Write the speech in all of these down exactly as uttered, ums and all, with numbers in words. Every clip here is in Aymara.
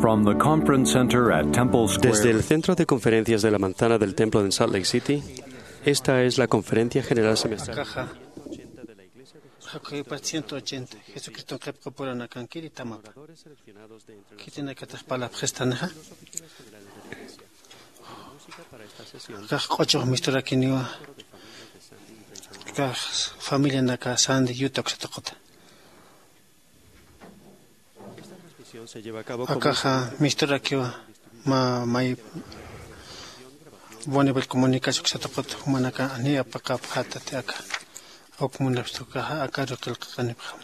From the conference center at Temple Square. Desde el Centro de Conferencias de la Manzana del Templo en Salt Lake City, esta es la Conferencia General Semestral. Akaxa jakujipat ciento ochenta Jesucriston qhipqapuranakan kiritamapa. Khitinakatix palapxistanixa. Akax q'uchux misturakiniwa. Akax familianaka Sandy Utah uksataqata. Akaxa misturakiwa mä may Bonneville Comunications uksataqata, jumanaka ni apaqapxätati aka. Uk munapxtukaxa akaru qillqaqanipxam.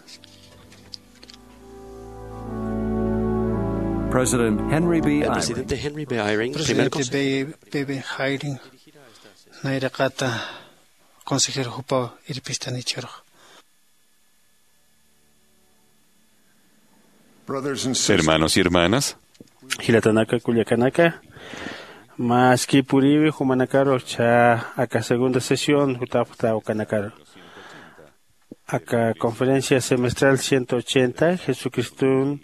President Henry B. El Eyring, presidente Henry B. Eyring, primer presidente consejo. B- B B Eyring, nayraqata consejero jupaw irpistani jichhürux. Brothers and sisters. Hermanos y hermanas. Jilatanaka, kullakanaka, mä aski puriwi jumanakaru, jichha aka segunda sesión jutapxta ukanakaru. Aka conferencia semestral ciento ochenta, Jesucriston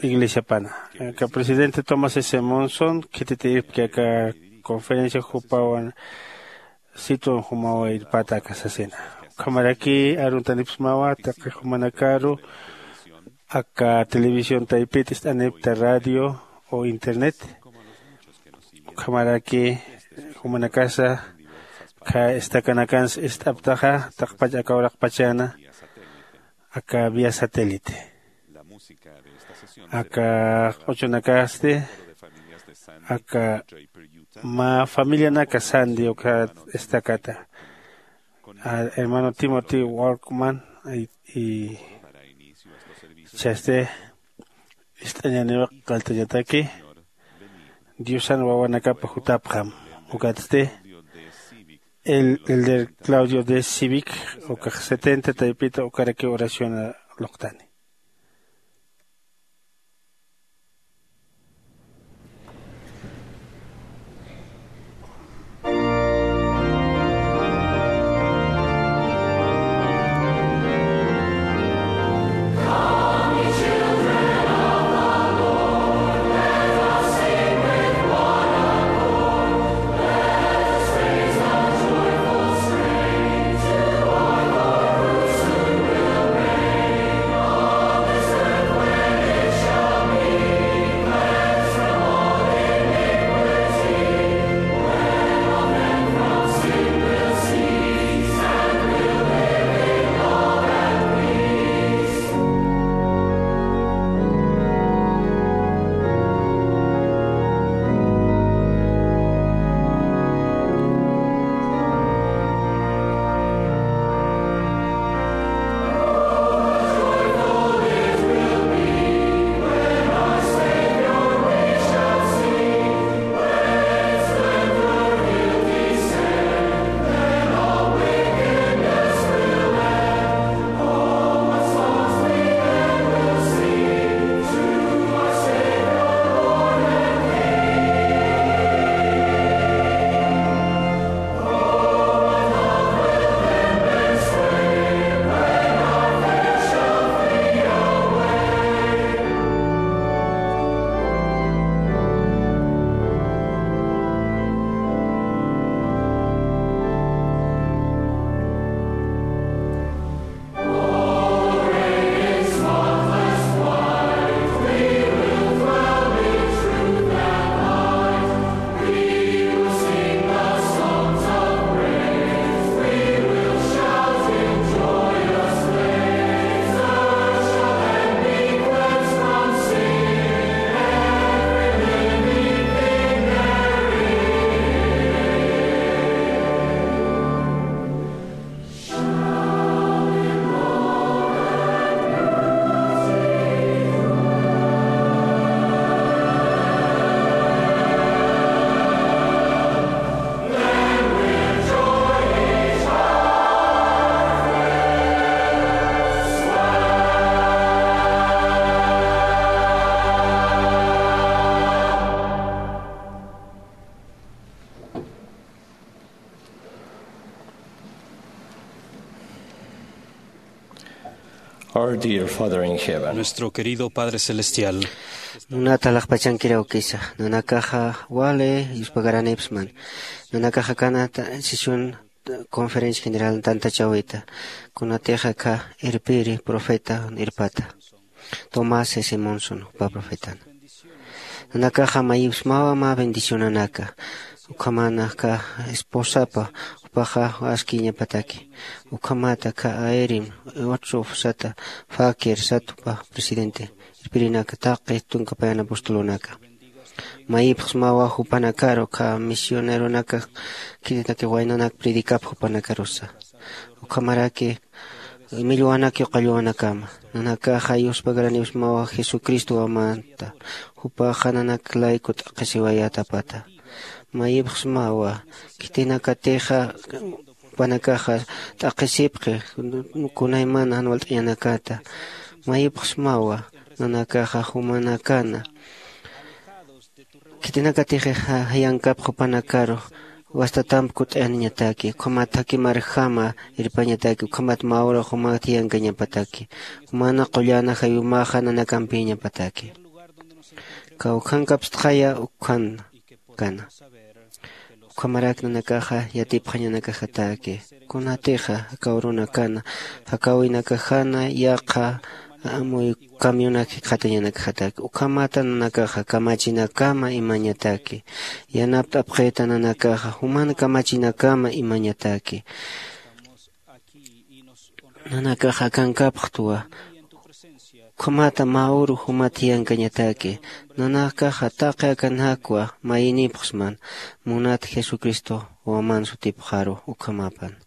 iglesiapana. Aka presidente Thomas S. Monson khititipki aka conferencia jupawan sitwan jumawa irpata aka sasina. Ukhamaraki aruntanipxsmawa taqi jumanakaru aka televisión taypit ist'anipkta, radio o internet. Ukhamaraki jumanakasa aka estacanakans ist'aptaxa taqpach aka uraqpachana aka vía satélite. Aka q'uchunakasti aka mä familianaka Sandy uka estacata, a, hermano Timothy Walkman, y, y chasti ist'añaniwa qalltañataki Diosan wawanakapa jutapxam. Ukatsti el, elder Claudio D. Civic, ukax setenta taypita ukaraki oración luqtani. Our dear Father in heaven. Nuestro querido Padre Celestial. Munat alaxpachankiraw kisa. Nanakaxa wali yuspagaränipxsman. Nanakaxa kanata sesión, eh, conferencia general tantachawita. Kunatixa aka irpiri profeta irpata. Tomás S. Monson, jupa profetana. Nanakaxa mayipxsmawa mä bendicionanaka. Ukhamanaka esposapa, jupaxa askiñapataki. Ukhamata aka Aerim, Otsof sata, Fakir satupa presidente. Irpirinaka taqi tunka payan apostolonaka. Mayipxsmawa jupanakaru aka misioneronaka khitinaka waynanak predicap jupanakarusa. Ukhamaraki millwanak yuqalluwanakama. Nanakaxa yuspagaränipxsmawa Jesucristo wamanta. Jupaxa nanak layku t'aqhisiwayätapata. Mayipxsmawa khitinakatixa jupanakaxa t'aqhisipxi kunaymana jan walt'añanakata. Mayipxsmawa nanakaxa jumanakana. Khitinakatix ja-, jayankap jupanakaru wastatamp kut'añataki, ukhamat jakimarjama irpañataki, ukhamat mä ura jumat jiyankañapataki, jumana qullana jayumaxa nanakampïñapataki. Kawkhankapstxaya ukkhan kana. Ukhamarak nanakaxa yatipxañanakajataki. Kunatixa aka urunakana, jakawinakajana yaqha amuy camionak jikxatañanakajataki. Ukhamata nanakaxa kamachinakama imañataki. Yanapt'apxita nanakaxa juman kamachinakama imañataki. Nanakaxa akankapxtwa. Ukhamata mä uru jumat jiyankañataki. Nanakaxa taqi akanakwa mayinipxsman. Munat Jesucristo waman sutipxaru ukhamapan.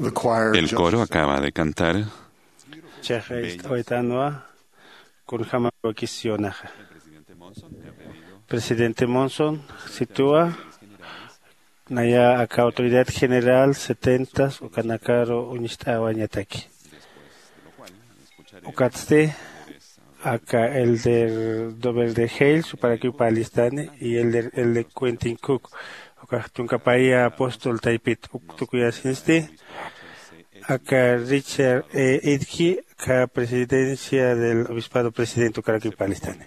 El coro acaba de cantar. Chaxa ist'awaytanwa kunjama wakisionaxa. Presidente Monson, situwa naya aka autoridad general setentas ukanakaru uñist'awañataki. Ukatsti aka elder Dover de Hales suparakiw parlistani y elder elder Quentin Cook ukax tunkapaya apóstol taypit uk tukuyasinsti. Aka Richard E. Idki aka presidencia del obispado presidente ukarakiw parlistani.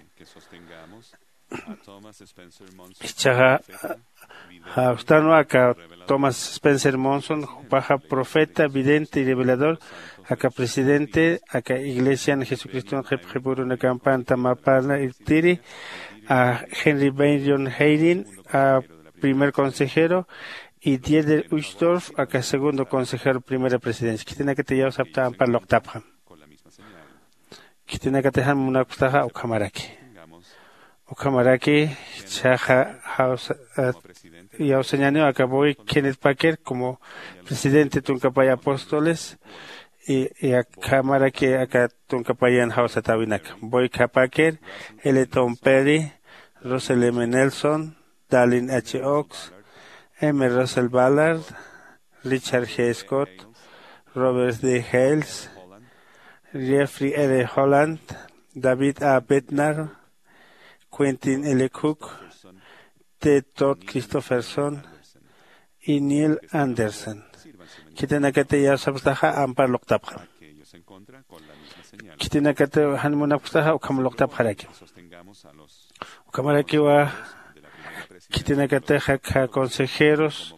Ichaxa jawstanwa aka Thomas Spencer Monson jupaxa profeta vidente y revelador aka presidente aka iglesian jesucriston qhipqhipurunakampanta mapana irtiri a Henry Benyon Hayden a primer consejero y Dieter Uchtdorf aka segundo consejero primera presidencia khitinakati yawsapta ampar luqtapxam. Khitinakatixan munakpstaxa ukhamaraki ukhamaraki chaxa jawsa yawsañaniw aka boy kenneth packer como presidente tunkapay apóstoles y akhamaraki aka tunkapayan jawsatäwinaka boy kha packer, eleton perry, russell m nelson, darlin h oaks, m russell ballard, richard g scott, robert d hales, jeffrey r holland, david a bednar, quentin l cook, t todd christopherson, y neil anderson. Khitinakati yawsapstaxa ampar luqtapxam. Khitinakati jan munapkstaxa ukham luqtapxaraki. Ukhamarakiwa khitinakatixa kha consejeros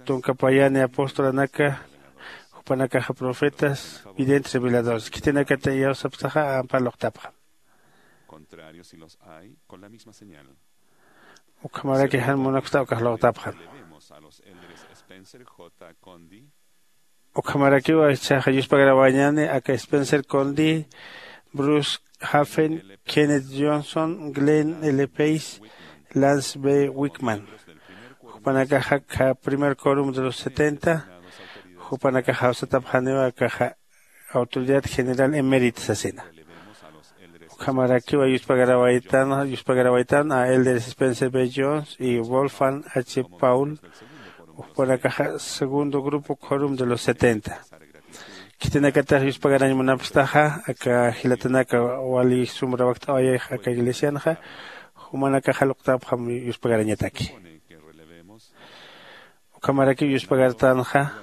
tunkapayani apostolanaka jupanakaxa profetas videntes reveladores khitinakati yawsapstaxa ampar luqtapxam. Ukhamaraki jan munaksta ukax luqtapxam. Ukhamarakiwa ichaxa yuspagarawañani aka spencer condi, bruce hafen, kenneth johnson, glenn l pace, lance b wickman. Jupanakaxa kha primer corum de los setenta jupanakaxa jawsatapxaniwa akaxa autoridad general emérita sasina. Ukhamarakiwa yuspagarawaytan yuspagarawaytan a elder spencer b jones y wolfgang h paul. Jupanakaxa segundo grupo corum de los setenta. Khitinakatax yuspagarañ munapstaxa aka jilatanaka wali sumrawakt'awayax aka iglesianxa jumanakaxa luqtapxam yuspagarañataki. Ukhamarakiw yuspagartanxa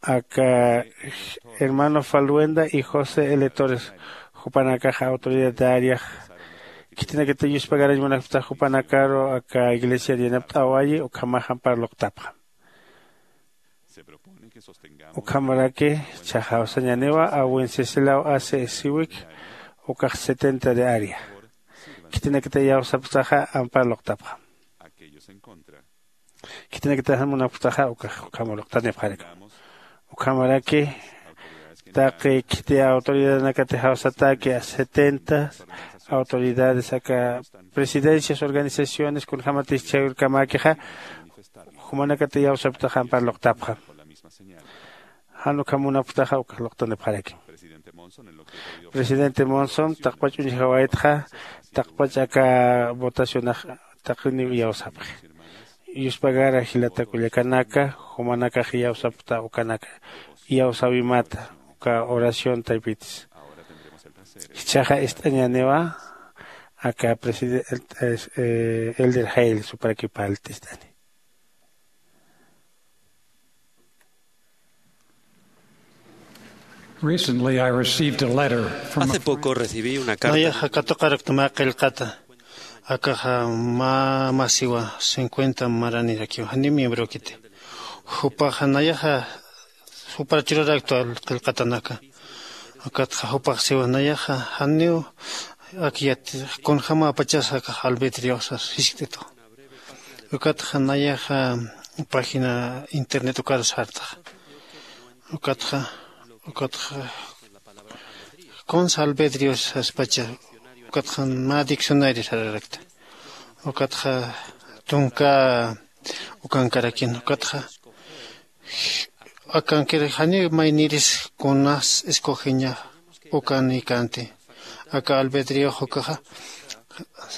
aka hermano falwenda y josé l torres jupanakaxa autoridad de áreax. Khitinakata yuspagarañ munapstax jupanakaru aka iglesiar yanapt'awayi ukhamax ampar luqtapxam. Ukhamaraki chaxawsañaniwa a wenceslao hace siwik ukax setenta de área. Khitinakata yawsapstaxa ampar luqtapxam. Khitinakata jan munapkstaxa ukax ukham luqtanipxarakam. Ukhamaraki taqi khiti autoridadanakati jawsataki a setenta autoridades aka presidencias organizaciones kunjämatis chhayurkamäkixa jumanakati yawsapktaxa ampar luqtapxam. Jan ukham munapktaxa ukax luqtanipxarakim. Presidente monson taqpach uñjawaytxa taqpach aka votacionax taqiniw iyawsapxi. Yuspagara jilata kullakanaka jumanakax iyawsapkta ukanaka iyawsäwimata uka oración taypitis. Jichhaxa ist'añäniwa aka presidente elder jayl suparakipalta ist'ani. Recently, I received a letter from a... Hace poco recibí una carta. Nayaxa katuqarakta mä qillqata akaxa mä masiwa cincuenta maranirakiwa janiw miembrokiti. Jupaxa nayaxa jupar churarakta qillqatanaka. Ukatxa jupax siwa nayaxa janiw ak yati kunjämapachasa akax albedriosas jiskt'itu. Ukatxa nayaxa página internet ukar sartaxa. Ukatxa ukatxa kunsa albedrios saspacha. Ukatxa mä diccionario sararakta. Ukatxa tunka ukankarakin ukatxa Akankir janiw mayniris kunas escogeña ukanïkanti. Aka albedriox ukaxa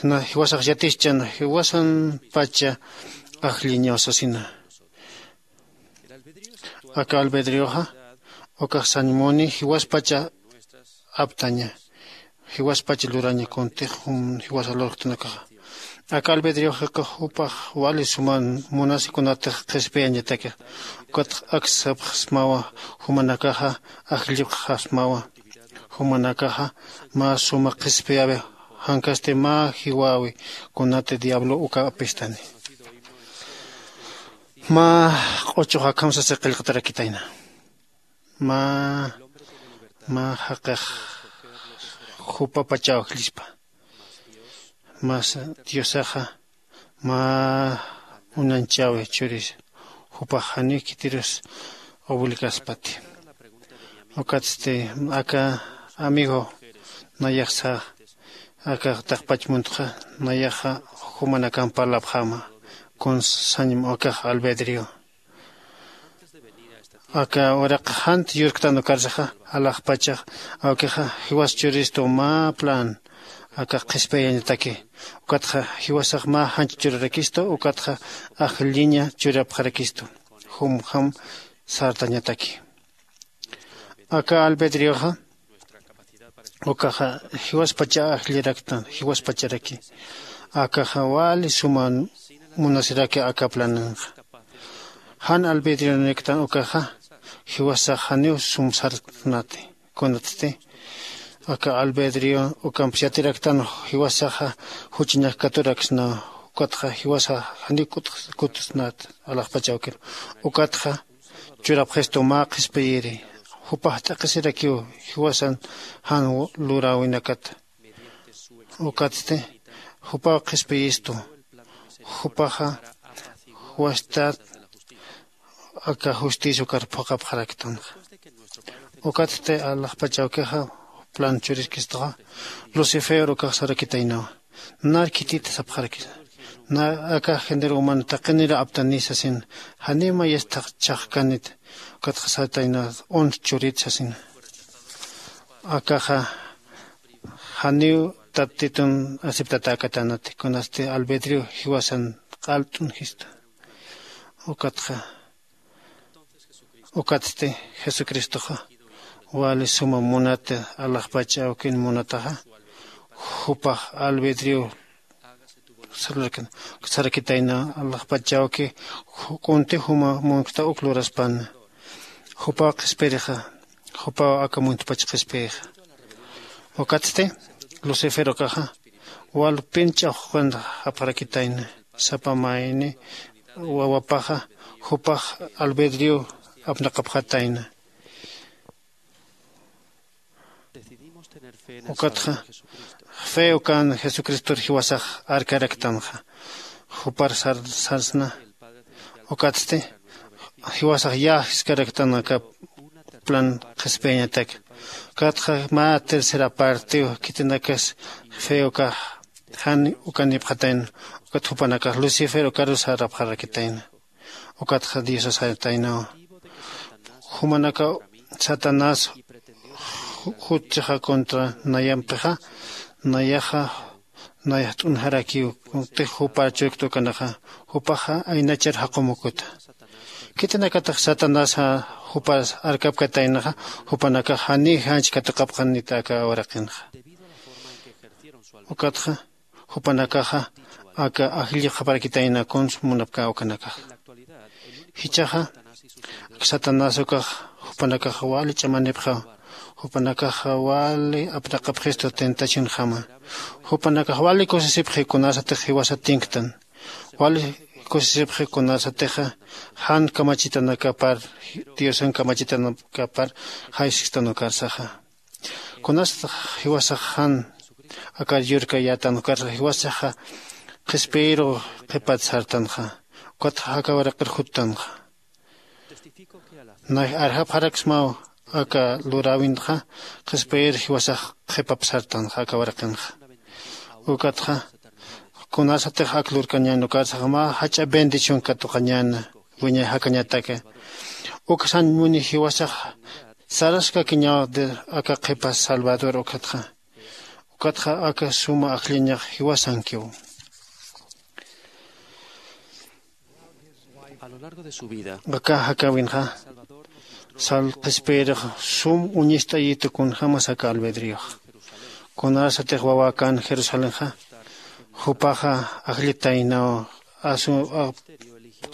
na jiwasax yatischan jiwasanpacha ajlliñaw sasina. Aka albedrioxa ukax sañmuni jiwaspacha aptaña jiwaspach luraña kuntix jiwasa lurktanakaxa. Aka albedrioxaka jupax wali suman munasikunatix qhispiyañataki. Ukatx aksapxsmawa jumanakaxa ajllipxasmawa. Jumanakaxa mä suma qhispiyawi jankasti mä jiwawi kunati diablo uka apistani. Mä q'uchux akham sasi qillqatarakitayna. Mä mä jaqix jupapachaw ajllispa. Mas diosaxa mä uñanchawi churis jupax janiw khitirus obligaspati. Ukatsti aka amigo nayaxsa aka taqpach muntxa nayaxa jumanakan parlapxäma kun sañm ukax albedrio. Aka uraq jant yurktan ukarsaxa alaxpachax awkixa jiwas churistu mä plan aka qhispiyañataki. Ukatxa jiwasax mä janch churarakistu ukatxa ajlliña churapxarakistu jumjam sartañataki. Aka albedrioxa ukaxa jiwaspacha ajlliraktan jiwaspacharaki. Akaxa wali suman munasiraki aka plananxa. Jan albedrioniktan ukaxa jiwasax janiw sumsarnati kunatsti aka albedrio ukamps yatiraktan jiwasaxa juchañax katuraksna. Ukatxa jiwasax janiw kutusnat alaxpachawkir ukatxa churapxistu mä qhispiyiri jupax t'aqhisirakiw jiwasan jan luräwinakata. Ukatsti jupaw qhispiyistu jupaxa juwastat aka justicia ukar phuqapxaraktanxa. Ukatsti alaxpachawkixa plan churiskistuxa lucifer ukax sarakitaynawa. Nar khitit sapxarakisa na aka género humano taqinira aptani sasin janiw mayas chhaqkanit. Ukatxa satayna unt churit sasina. Akaxa janiw tatitun aceptatäkatanati kunasti albedrio jiwasan q'alt'un jista. Ukatxa ukatsti jesucristoxa wali suma munata alaxpach awkin munataxa jupax albedrio sarakitayna alaxpach awki kunti juma munkta uk luraspana. Jupaw qhispirixa jupaw aka muntpach qhispirixa. Ukatsti lucifer ukaxa walpin ch'axuqinta japxarakitayna sapa mayni wawapaxa jupax albedrio apnaqapxatayna. Ukatxa fe ukan jesucristor jiwasax arkaraktanxa jupar sarsna. Ukatsti jiwasax yäjiskaraktan aka plan qhispiyañatak. Ukatxa mä tercera partiw khitinakas fe ukax jan ukanipxatayna. Ukat jupanakax lucifer ukarus sarapxarakitayna. Ukatxa diosas jaytaynawa jumanaka satanás juchchaxa contra nayampixa nayaxa nayaxt'unxarakiw. Tix jupa churkta ukanaxa jupaxa aynachar jaqumukuta. Khitinakatix satanasxa jupas arkapkataynaxa jupanakax janiy janch katuqapxanita aka uraqinxa. Ukatxa jupanakaxa aka ajllipxaparakitayna kuns munapkä ukanakaxa. Jichhaxa satanás ukax jupanakaxa wali ch'amanipxaw. Jupanakaxa wali apnaqapxistu tentacionjama. Jupanakax wali kusisipxi kunasatix jiwasat tinktan. Wali kusisipxi kunasatixa jan kamachitanakapar diosan kamachitanakapar jaysikstan ukarsaxa. Kunasatix jiwasax jan akar yurkayätan ukarsax jiwasaxa qhispiyiru qhipat sartanxa. Ukatxa aka waraqir juttanxa. Nay arjapxaraksmaw aka luräwinxa qhispiyir jiwasax qhipap sartanxa aka waraqinxa. Ukatxa kunasatix ak lurkañän ukarsax mä jach'a bendición katuqañäna wiñay jakañataki. Uksañ muni jiwasax saraskakiñaw de aka qhipa salvador ukatxa. Ukatxa aka suma ajlliñax jiwasankiw. A lo largo de su vida, aka jakawinxa sal qhispiyirix sum uñist'ayitu kunjämas aka albedriox. Kunarsatix wawäkän jerusalenxa jupaxa ajllitaynaw asu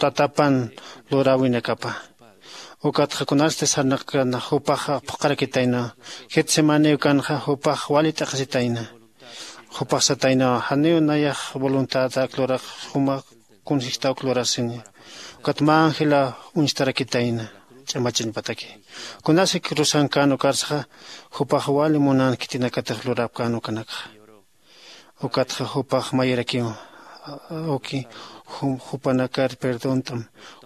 tatapan luräwinakapa. Ukatxa kunarsti sarnaqkana jupaxa phuqharakitayna. Getsemaniw kanxa jupax wali t'aqhisitayna. Jupax satayna janiw nayax voluntadarak lurax juma kunsijtawk lurasini. Ukat mä ángela uñstarakitayna ch'amachañpataki. Kunasik rusankän ukarsaxa jupax wali munan khitinakatix lurapkän ukanakxa. Ukatxa jupax mayirakiw uki jupanakar perdont'am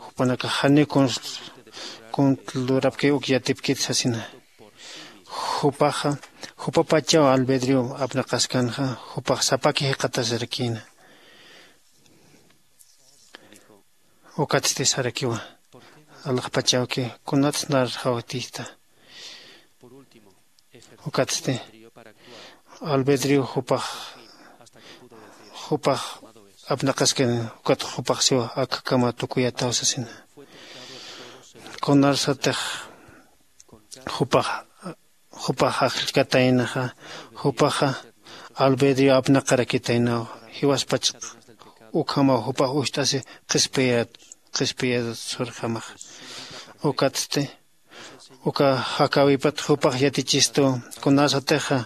jupanakax janiw kuntl lurapkiw uk yatipkit sasina. Jupaxa jupapachaw albedrio apnaqaskanxa jupax sapaki jiqatasrakïna. Ukatsti sarakiwa alaxpachawki kunatsa narxawtista. Ukatsti albedrio jupax jupax apnaqaskani. Ukat jupax siwa akakama tukuyataw sasina. Kunarsatix jupax jupax ajllkataynaxa jupaxa albedrio apnaqarakitaynaw. Jiwaspach ukhamaw jupax ucht'asi qhispiyat qhispiyat surjamax. Ukatsti uka jakäwipat jupax yatichistu kunasatixa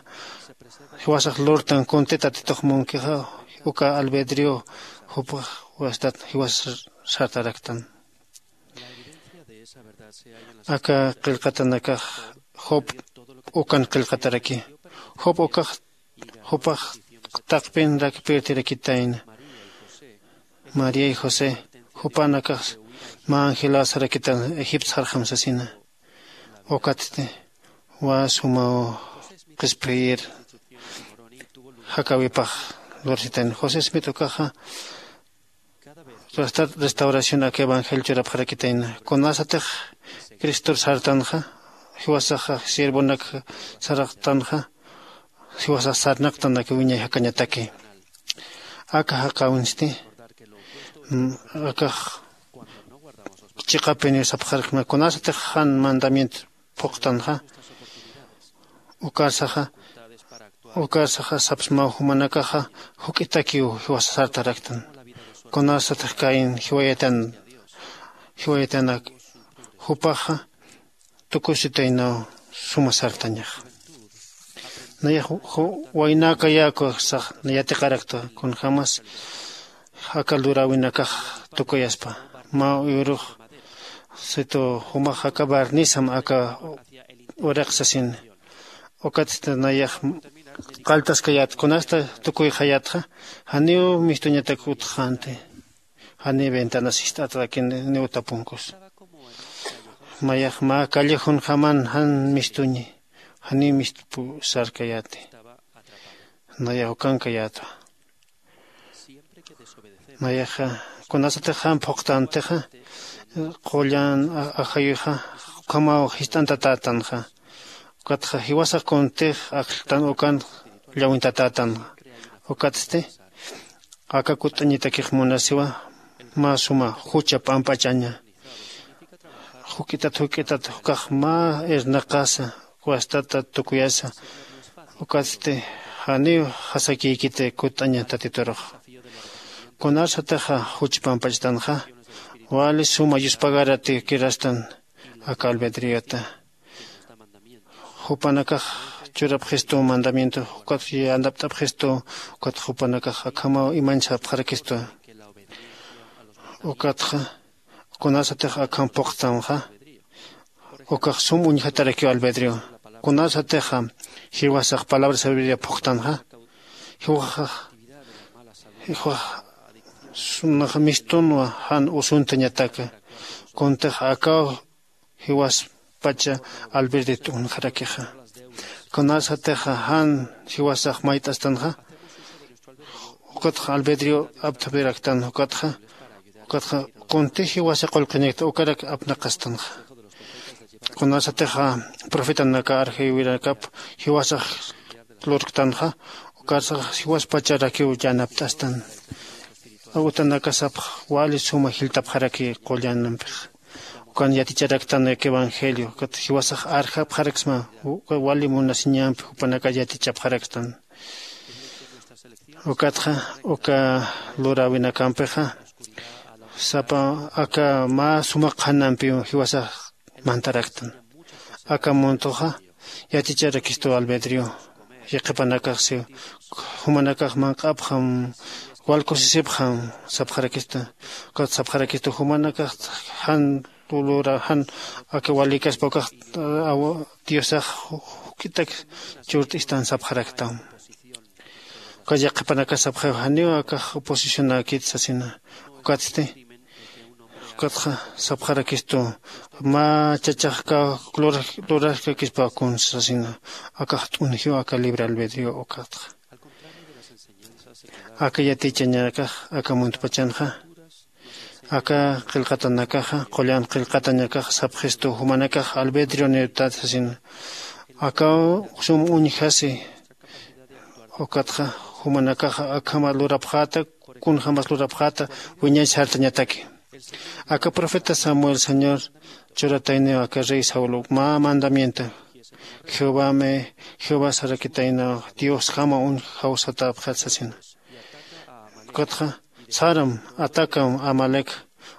jiwasax lurtan kunti tatitux munkixa uka albedrio jupax wastat jiwas sartaraktan. Aka qillqatanakax job ukan qillqataraki. Job ukax jupax taqpinrak pirtirakitayna. María y josé jupanakax mä angeläsarakitan egipto sarxam sasina. Ukatsti wä sumaw qhispiyir jakäwipax lursitan josé smit ukaxa restauración aka evangelio churapxarakitayna. Kunasatix cristor sartanxa jiwasaxa siervonak saraqtanxa jiwasax sarnaqtan aka wiñay jakañataki. Aka jaqäwinsti akax chiqapiniw sapxarkna kunasatix jan mandamiento phuqtanxa ukarsaxa ukarsaxa sapsmaw jumanakaxa juk'itakiw jiwasa sartaraktan. Kunasatix kayin jiwayatan jiwayatanak jupaxa tukusitaynaw suma sartañax. Nayax waynäkayäkuxsax nayatiqarakta kunjämas aka luräwinakax tukuyaspa mä uyurux situ jumax aka barnisam aka uraq sasin. Ukatsti nayax qalltaskayät kunasta tukuyxayätxa janiw mistuñatak utxänti. Janiw ventanas jist'atakin niw tapunkus mayax mä callejunjaman jan mistuñi janiw mistpu sarkayäti. Nayax ukankayätwa nayaxa kunasatix jan phuqtantixa qullan ajayuxa ukhamaw jist'antatätanxa. Ukatxa jiwasax kuntix ajlltan ukan llawintatätanxa. Ukatsti aka kutt'añatakix munasiwa mä suma jucha p'amp'achaña. Juk'itat juk'itat ukax mä irnaqasa wastata tukuyasa. Ukatsti janiw jasakïkiti kutt'aña tatiturux. Kunarsatixa juch pampachtanxa wali suma yuspagaratikirastan aka albedriota. Jupanakax churapxistu mandamiento ukat yandapt'apxistu. Ukat jupanakax akhamaw imañsapxarakistu. Ukatxa kunasatix akham phuqtanxa ukax sum uñjatarakiw albedrio. Kunasatixa jiwasax palabra sabiduria phuqtanxa jiwaxax jiwax sunax mistunwa jan usuntañataka. Kuntix akaw jiwaspacha albedrio t'unxarakixa. Kunasatixa jan jiwasax mayt'astanxa ukatxa albedrio apthapiraktan ukatxa ukatxa kuntix jiwasa qullqiñakta ukarak apnaqastanxa. Kunasatixa profetanaka arjaywirakap jiwasax lurktanxa, ukarsax jiwaspacharakiw yanapt'astan. Utanakasapx wali suma jiltapxaraki qullanampixa. Ukan yaticharaktan uk evangelio ukat jiwasax arjapxaraksma. Wali munasiñampi jupanaka yatichapxarakstan. Ukatxa uka luräwinakampixa sapa aka mä suma qhanampiw jiwasax mantaraktan. Aka muntuxa yaticharakistu albedrio. Yaqhipanakaxsi jumanakax manq'apxam, wal kusisipxam sapxarakista. Ukat sapxarakistu jumanakax jan lura jan aka walikaspa ukax diosax juk'itak churt'istan sapxaraktam. Ukat yaqhipanakax sapxaw janiw akax oposicionäkit sasina. Ukatsti ukatxa sapxarakistu mä chachaxkaw lurajkakispa kunsa sasina. Akax t'unjiw aka libre albedrio ukatxa aka yatichañakax aka muntpachanxa aka qillqatanakaxa qullan qillqatañakax sapxistu jumanakax albedrio nirtat sasina. Akaw sum uñjasi ukatxa jumanakaxa akhama lurapxäta kunjämas lurapxäta wiñay sartañataki. Aka profeta samuel señor churatayniw aka rey saul mä mandamiento jehovame jehová sarakitaynaw diosjama uñjaw satäpxat sasina. Ukatxa saram atacam amalek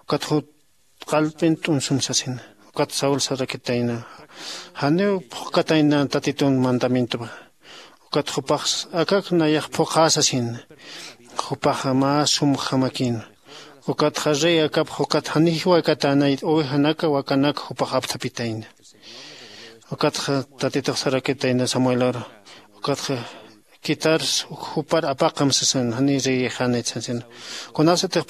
ukat jut qallp'in t'unsum sasina. Ukat saul sarakitayna janiw phuqkatayna tatitun mandamientopa. Ukat jupax akak nayax phuqhä sasina. Jupaxa mä sumjamakin ukatxa rey akapx ukat janiw jiwaykatänay ovejanaka wakanaka jupax apthapitayna. Ukatxa tatitux sarakitayna samuelor ukatxa quitar jupar apaqam sasin janiw reyixänit sasin. Kunasatix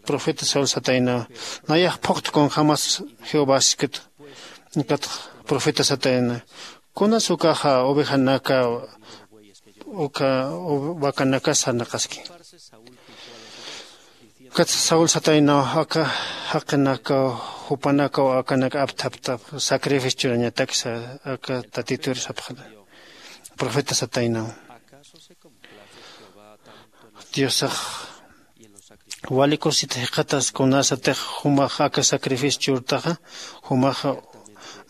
profeta saul sataynawa nayax phuqta kunjämas jehová siskit. Ukatxa profeta satayna kunas ukaxa ovejanaka uka vacanaka sarnaqaski. Ukat saul sataynaw aka jaqinakaw jupanakaw akanak apthaptap sacrificio churañataksa aka tatitur sapxana. Profeta sataynaw diosax wali kusita jikxatas kunasatix jumax aka sacrificio churtaxa jumaxa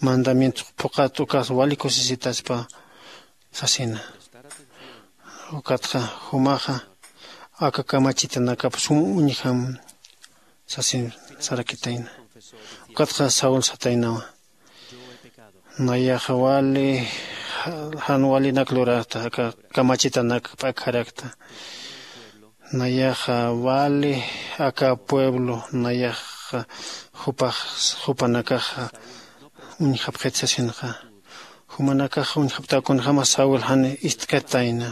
mandamiento phuqat ukas wali kusisitaspa sasina. Ukatxa jumaxa aka kamachitanakap sum uñjam sasin sarakitayna. Ukatxa saul sataynawa nayaxa wali jan walinak lurarta aka kamachitanak p'akharakta. Nayaxa wali aka pueblo nayaxa jupax jupanakaxa uñjapxit sasinxa. Jumanakax uñjaptaw kunjämas saul jan ist'katayna.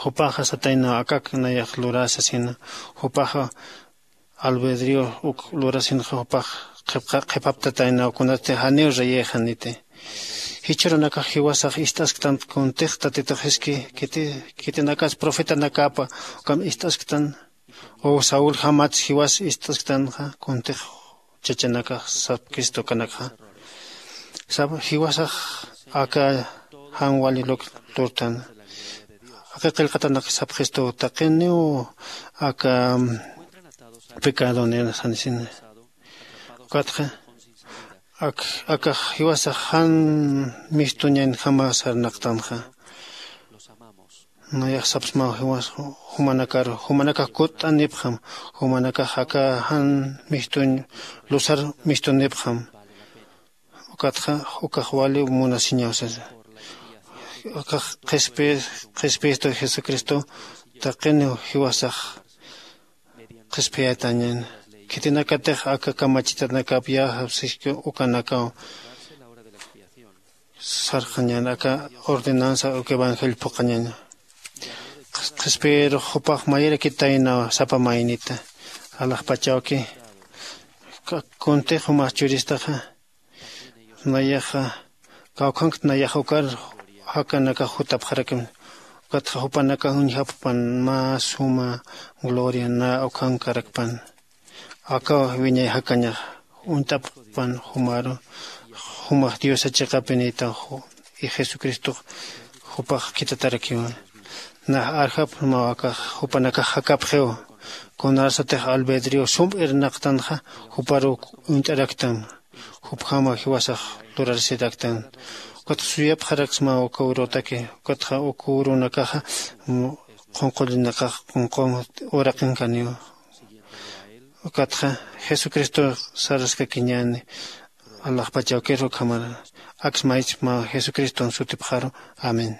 Jupaxa sataynaw akak nayax lurä sasina. Jupaxa albedrio uk lurasinxa jupax qhipaptataynaw kunasti janiw reyixaniti. Jichhürunakax jiwasax ist'asktan kuntix tatitux jiski khitinakas profetanakapa ukham ist'asktan o sauljamats jiwas ist'asktanxa kuntix chachanakax sapkistu kanakxa. Sap jiwasax aka jan wali luk lurtan aka qillqatanak sapxistu taqiniw aka pecado nena sanisin. Ukatxa ak akax jiwasax jan mistuñaynjama sarnaqtanxa. Nayax sapsmaw jiwas jumanakar jumanakax kutt'anipxam jumanakax aka jan mistuñ lusar mistunipxam. Ukatxa ukax wali munasiñaw sasa. Ukax qhispistu jesucristo taqiniw jiwasax qhispiyatañan. Khitinakatix aka kamachitanakap yäja siski ukanakaw sarqañan aka ordenanza uka evangelio phuqañaña. Qhispiyirux jupax mayirakitaynaw sapa maynita alaxpachawki kuntix jumax churistaxa. Nayaxa kawkhankt nayax ukar jakanakax jutapxarakim. Ukatxa jupanakax uñjapxpan mä suma gloria na ukhankarakpan. Akaw wiñay jakañax uñt'apxpan jumaru jumax diosa chiqapinïtaw. Y jesucristox jupax khitatarakiwa. Nax arjapxma akax jupanakax jakapxiw. Kunarsatix albedrio sum irnaqtanxa juparuw uñt'araktan. Jupjama jiwasax lurarsiraktan. Ukatxa suyapxaraksma uka urutaki. Ukatxa uka urunakaxa qunqullinakax qunqun uraqinkaniwa. Ukatxa jesucristo saraskakiñäni. Alaxpachawkir ukhamar aksmaychma jesucriston sutipxaru. Amén.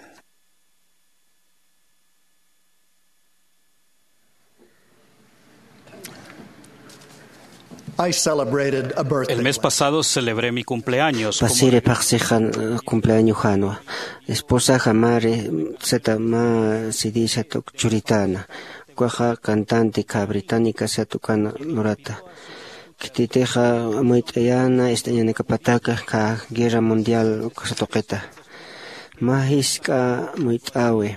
I celebrated a birthday. El mes pasado celebré mi cumpleaños como pasiri phaxsixan cumpleaño janwa. Esposaxa mari sata mä sidisat uk churitana. Ukaxa cantante kha británica sat ukana lurata. Khititixa amuyt'ayana ist'añanakapataka kha guerra mundial ukasa tuqita. Mä jisk'a amuyt'awi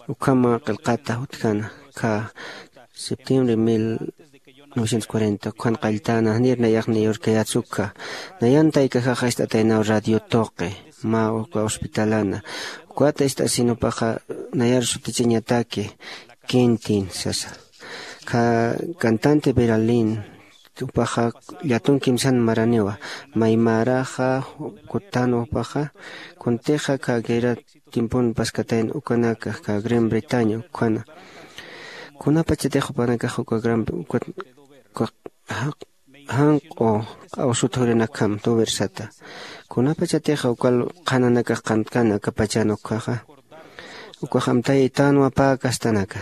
ukhama qillqata utjana kha septiembre mil novecientos cuarenta ukhan qalltana janir nayax niyorkayatsukkha. Nayan taykaxaxa ist'ataynaw radio tuqi mä uka hospitalana. Ukwata ist'asinupaxa nayar sutichiñataki quintin sasa. Kha cantante beralin jupaxa llatun kimsan maraniwa. Maymaraxa kutanwa jupaxa. Kuntixa kha guerra tiempon paskatayn ukanaka kha gran bretaña ukhana. Kunapachatix jupanakax uka gran uka janq'u q'awsut jurinakjam tuvirsata. Kunapachatix uka qhananakax qantkana aka pachan ukkhaxa. Ukax amtay itanwa pä kastanaka.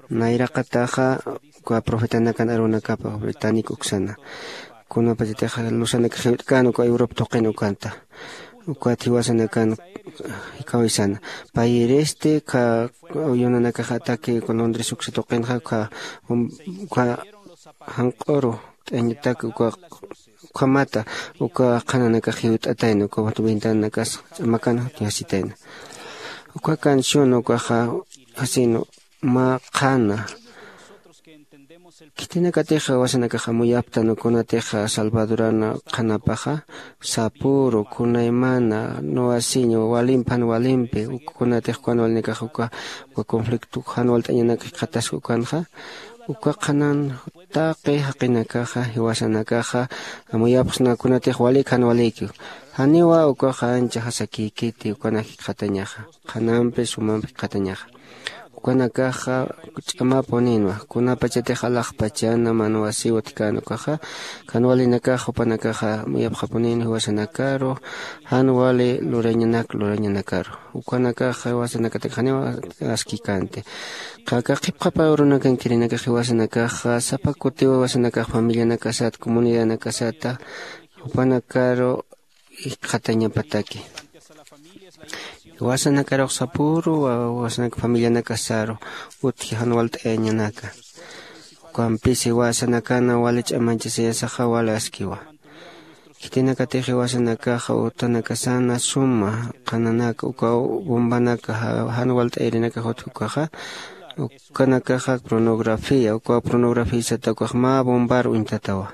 Nayraqataxa uka profetanakan arunakapa británico uksana. Kunapachatix lusanakax jiwt'kän uka europa tuqin ukanta. Ukat jiwasanakan jikhawisana payiristi kha. Uyunanakax ataki uka londres uksa tuqinxa kha kha janq'uru t'añatak uka ukhamata uka qhananakax jiwt'atayna uka ventananakas ch'amakan jasitayna. Uka canción ukaxa jasinu mä qhana. Khitinakatix jiwasanakax amuyaptan ukunatix salvadorana qhanapaxa sapuru kunaymana nuwasiña walimpi jan walimpi ukunatix kuwan walinakax uka uka conflicto jan walt'añanak jikxatasku ukanxa. Uka qhanan taqi jaqinakaxa jiwasanakaxa amuyapxsna kunatix walik jan waliki. Janiwa ukaxa ancha jasakïkiti ukanak jikxatañaxa qhanampi sumampi jikxatañaxa. Ukanakaxa ch'amapuninwa kunapachatix alaxpachana manwasiw utjkän ukaxa. Jan walinakax jupanakaxa amuyapxapunin jiwasanakaru jan wali lurañanak lurañanakaru. Ukanakaxa jiwasanakatak janiw askikänti. Qhaka qhipqhapa urunakankirinakas jiwasanakaxa sapa kutiw jiwasanakax familianakasat comunidadanakasata jupanakaru jikxatañapataki. Jiwasanakarux sapüru jiwasanak familianakasaru utji jan walt'ayañanaka. Ukampis jiwasanakana wali ch'amañchasayasaxa wali askiwa. Khitinakatix jiwasanakaxa utanakasana suma qhananaka uka bombanaka jan walt'ayarinakax utji ukaxa. Ukanakaxa pornografía uka pornografiasata ukax mä bombar uñtatawa.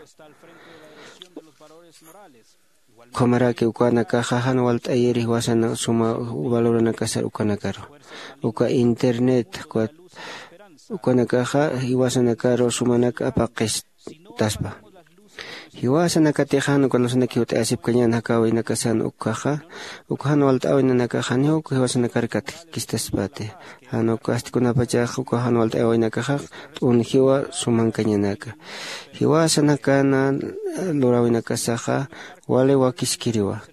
Ukhamaraki ukanakaxa jan walt'ayiri jiwasana suma valoranakasar ukanakaru. Uka internet ukanakaxa jiwasanakaru sumanak apaqistaspa. Jiwasanakatix jan uka lusanak jiwt'ayasipkañän jakäwinakasan ukkhaxa uka jan walt'äwinanakax janiw uka jiwasanakar katkistaspati. Jan ukasti kunapachax uka jan walt'äwinakaxa t'unjiwa sumankañanaka. Jiwasanakana luräwinakasaxa wali wakiskiriwa.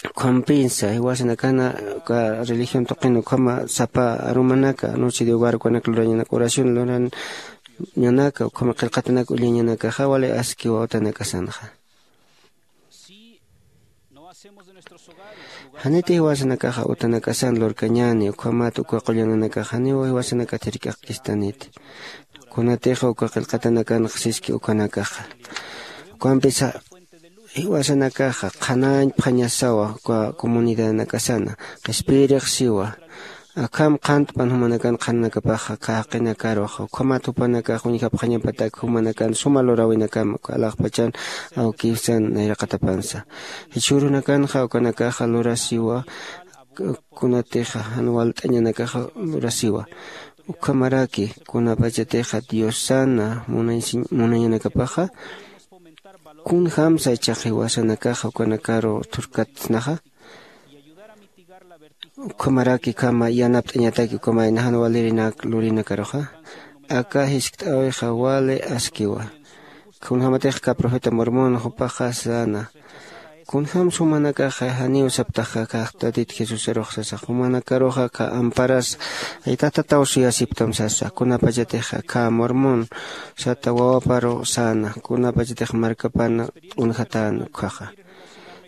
Ukhampinsa jiwasanakana uka religión tuqin ukhama sapa arumanaka noche de hogar ukanak lurañanaka oración lurañanaka ukhama qillqatanak ullañanakaxa wali askiwa utanakasanxa. Janiti jiwasanakaxa utanakasan lurkañäni ukhamat uka qullananakax janiw jiwasanakatir k'aqkistaniti. Kunatixa uka qillqatanakanxa siski ukanakaxa. Ukampisa jiwasanakaxa qhanañpxañasawa uka comunidadanakasana qhispiyirix siwa. Akham qhantpan jumanakan qhananakapaxa, aka jaqinakaruxa ukhamat jupanakax uñjapxañapatak jumanakan suma luräwinakam alaxpachan awkisan nayraqatapansa. Jichhürunakanxa ukanakaxa lurasiwa, kunatixa jan walt'añanakaxa lurasiwa. Ukhamaraki kunapachatixa diosana munañanakapaxa, kunjämsa ichax jiwasanakaxa ukanakaru thurkatsnaxa. Ukhamaraki ukhama yanapt'añataki ukhama jan walirinak lurinakaruxa. Aka jiskt'äwixa wali askiwa. Kunjämatix aka profeta mormón jupaxa säna, kunjämsa jumanakaxa janiw saptaxa aka tatit jesusarux sasa, jumanakaruxa aka amparas aytatataw suyasiptam sasa. Kunapachatixa aka mormón sata wawaparu säna, kunapachatix markapan t'unjatäna ukkhaxa.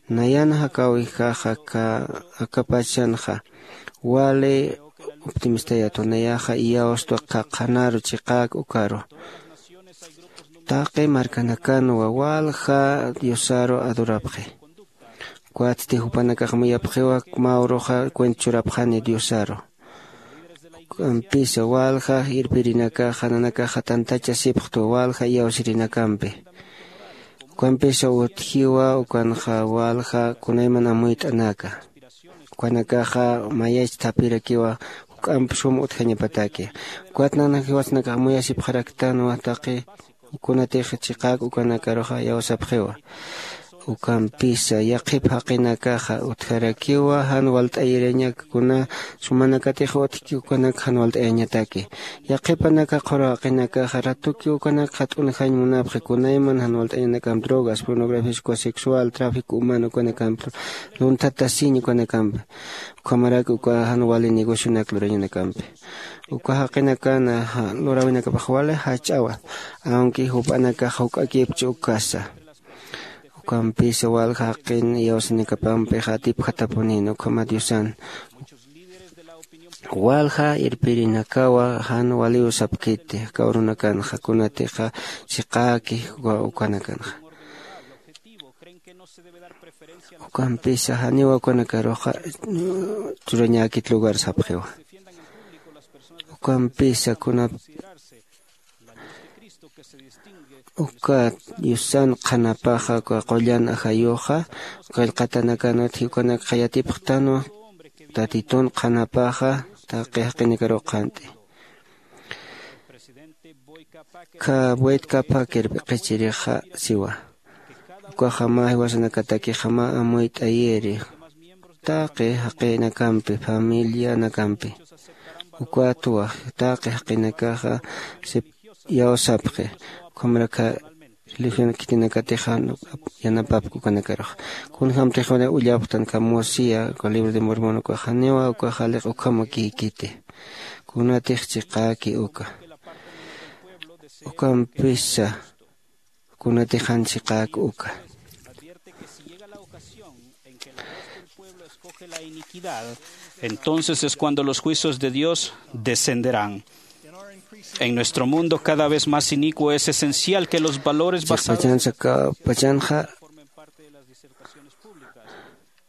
Nayan jakäwijaxa aka akapachanxa wali optimistayatu, nayaxa iyawstwa qhanaru chiqäk ukaru. Taqi markanakanwa walja diosaru adorapxi. Ukatsti jupanakax muyapxiwa mä uruxa cuenta churapxani diosaru. Uk'ampisa walja irpirinakaxa nanakaxa tantachasipxtwa walja iyawsirinakampi. Uk'ampisa utjiwa ukanxa walja kunayman amuyt'anaka. Ukanakaxa mayach thapirakiwa juk'amp sum utjañapataki. Ukat nanak jiwasanakax muyasipxaraktanwa taqi kunatix chiqäk ukanakaruxa iyawsapxiwa. Ukampisa yaqhip jaqinakaxa utjarakiwa jan walt'ayirañak kuna sumanakatix utjki ukanak jan walt'ayañataki. Yaqhipanaka qhuru jaqinakaxa ratuki ukanakxa t'unjañ munapxi kunayman jan walt'ayañanakamp drogas pornografía sexual tráfico humano ukanakamp lunthatasiñ ukanakampi. Ukhamarak uka jan wali negocionak lurañanakampi. Uka jaqinakana luräwinakapax wali jach'awa, aunque jup'anakax juk'akipchi ukasa. Ukampisa walja jaqin iyawsinakapampixa atipjatapunïna ukhama diosan. Walja irpirinakawa jan waliw sapkiti aka urunakanxa kunatixa chiqäki ukanakanxa. Ukampisa janiw ukanakaruxa churañäkit lugar sapxiwa. Ukampisa kuna uka diosan qhanapaxa uka qullan ajayuxa qillqatanakan utji ukanakxa yatipxtanwa tatitun qhanapaxa taqi jaqinakaruw qhant'i. Kha buetkapha kirp'iqichirixa siwa. Ukaxa mä jiwasanakatakixa mä amuyt'ayiri taqi jaqinakampi familianakampi. Ukatwa taqi jaqinakaxa iyawsapxi. Ukhamrakha religión khitinakatixa yanapapki ukanakaruxa. Kunjämtix ullapxtan kha mosía uka libro de mormón ukaxa janiwa ukaxa liq ukham akïkiti. Kunatix chiqäki uka ukampisa kunatix jan chiqäk uka. Entonces es cuando los juicios de Dios descenderán. En nuestro mundo cada vez más inicuo es esencial que los valores basados Chiqpachansa kapachanxa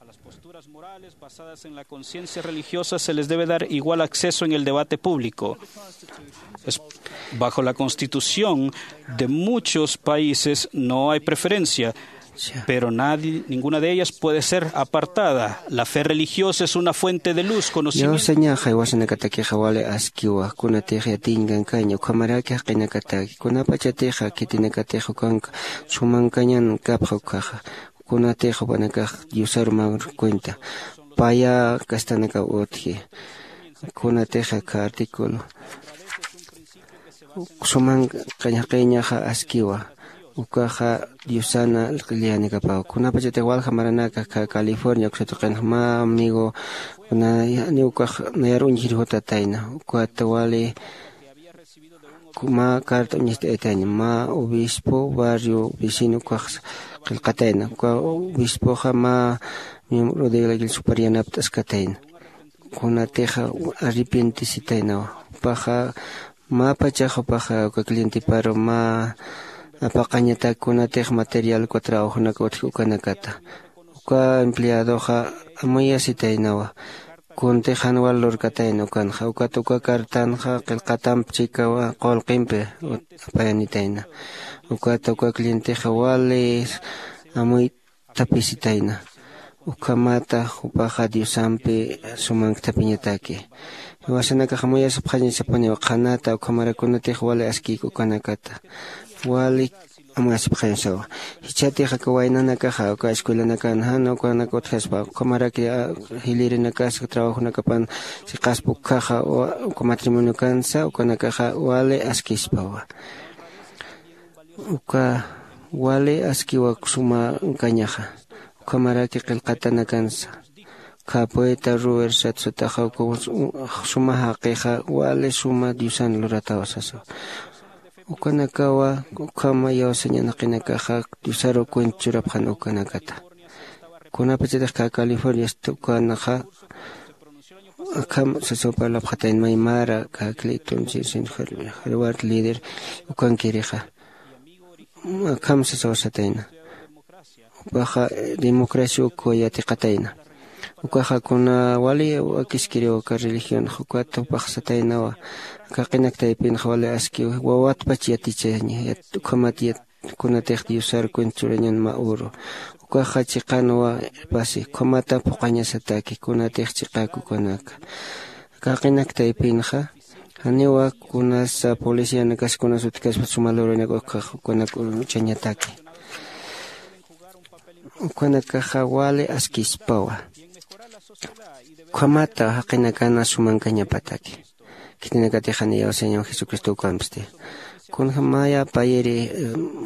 a las posturas morales basadas en la conciencia religiosa se les debe dar igual acceso en el debate público. Bajo la constitución de muchos países no hay preferencia, pero nadie, ninguna de ellas puede ser apartada. La fe religiosa es una fuente de luz, conocimiento. Yawsañaxa jiwasanakatakixa wali askiwa kunatix yatiñ kankaña ukhamaraki jaqinakataki kunapachatixa khitinakatix ukanka sumankañan kapxa ukkhaxa. Kunatix jupanakax diosaru mä cuenta paya castanakaw utji. Kunatix aka artículo sumankañaqiñaxa askiwa. Ukaxa diosana q'illiyanakapaw kunapachatix walja maranaka aka california uksatuqinxa mä amigo kuna janiw ukax nayar uñjir jutatayna. Ukat wali mä carta uñist'aytayna mä obispo barrio vecino ukax qillqatayna. Uka obispoxa mä miembro de la iglesia supar yanapt'askatayna. Kunatixa arrepientisitaynawa. Jupaxa mä pachax jupaxa uka clientiparu mä apaqañatak kunatix material uka trabajonaka utji ukanakata. Uka empleadoxa amuyasitaynawa. kuntix jan wal lurkatayna ukanxa. Ukat uka cartanxa qillqatamp chikawa qullqimpi apayanitayna. Ukat uka clientexa wali amuytapisitayna. Ukhamata jupaxa diosampi sumanktapiñataki. Jiwasanakax amuyasipxañasapuniw qhanata ukhamara kunatix wali askik ukanakata wali amuyasipxañasawa. Jichhatix aka waynanakaxa uka escuelanakan jan ukanak utjaspa ukhamaraki jilïrinakas trabajunakapan siqaspa ukkhaxa uka matrimoniokansa ukanakaxa wali askispawa. Uka wali askiwa suma kañaxa. Ukhamaraki qillqatanakansa kha poeta ruber satsutaxa uka suma jaqixa wali suma diosan luratawa sasa. Ukanakawa ukhama iyawsañanaqinakaxa diosaru cuenta churapxan ukanakata. Kunapachatix kha california stukanaxa akham sasaw parlapxatayna maymara kha clinton sin harvard líder ukankirixa akham sasaw satayna. Jupaxa democracia ukwa yatiqatayna. Ukaxa kuna wali wakiskiriw aka religión jukat jupax sataynawa. Aka qinaktaypinxa wali askiw wawatpach yatichaña ukhamat kunatix diosar cuenta churañan mä uru. Ukaxa chiqanwa pasi ukhamata phuqhañasataki kunatix chiqakukanaka. Aka qinaktaypinxa janiwa kunasa policianakas kunas utjkaspa suma luranak ukhax ukanak uchañataki. Ukanakaxa wali askispawa. Ukhamata jaqinakana sumankañapataki. Khitinakatix jan iyawsañaw jesucristo ukampsti. Kunjamaya payiri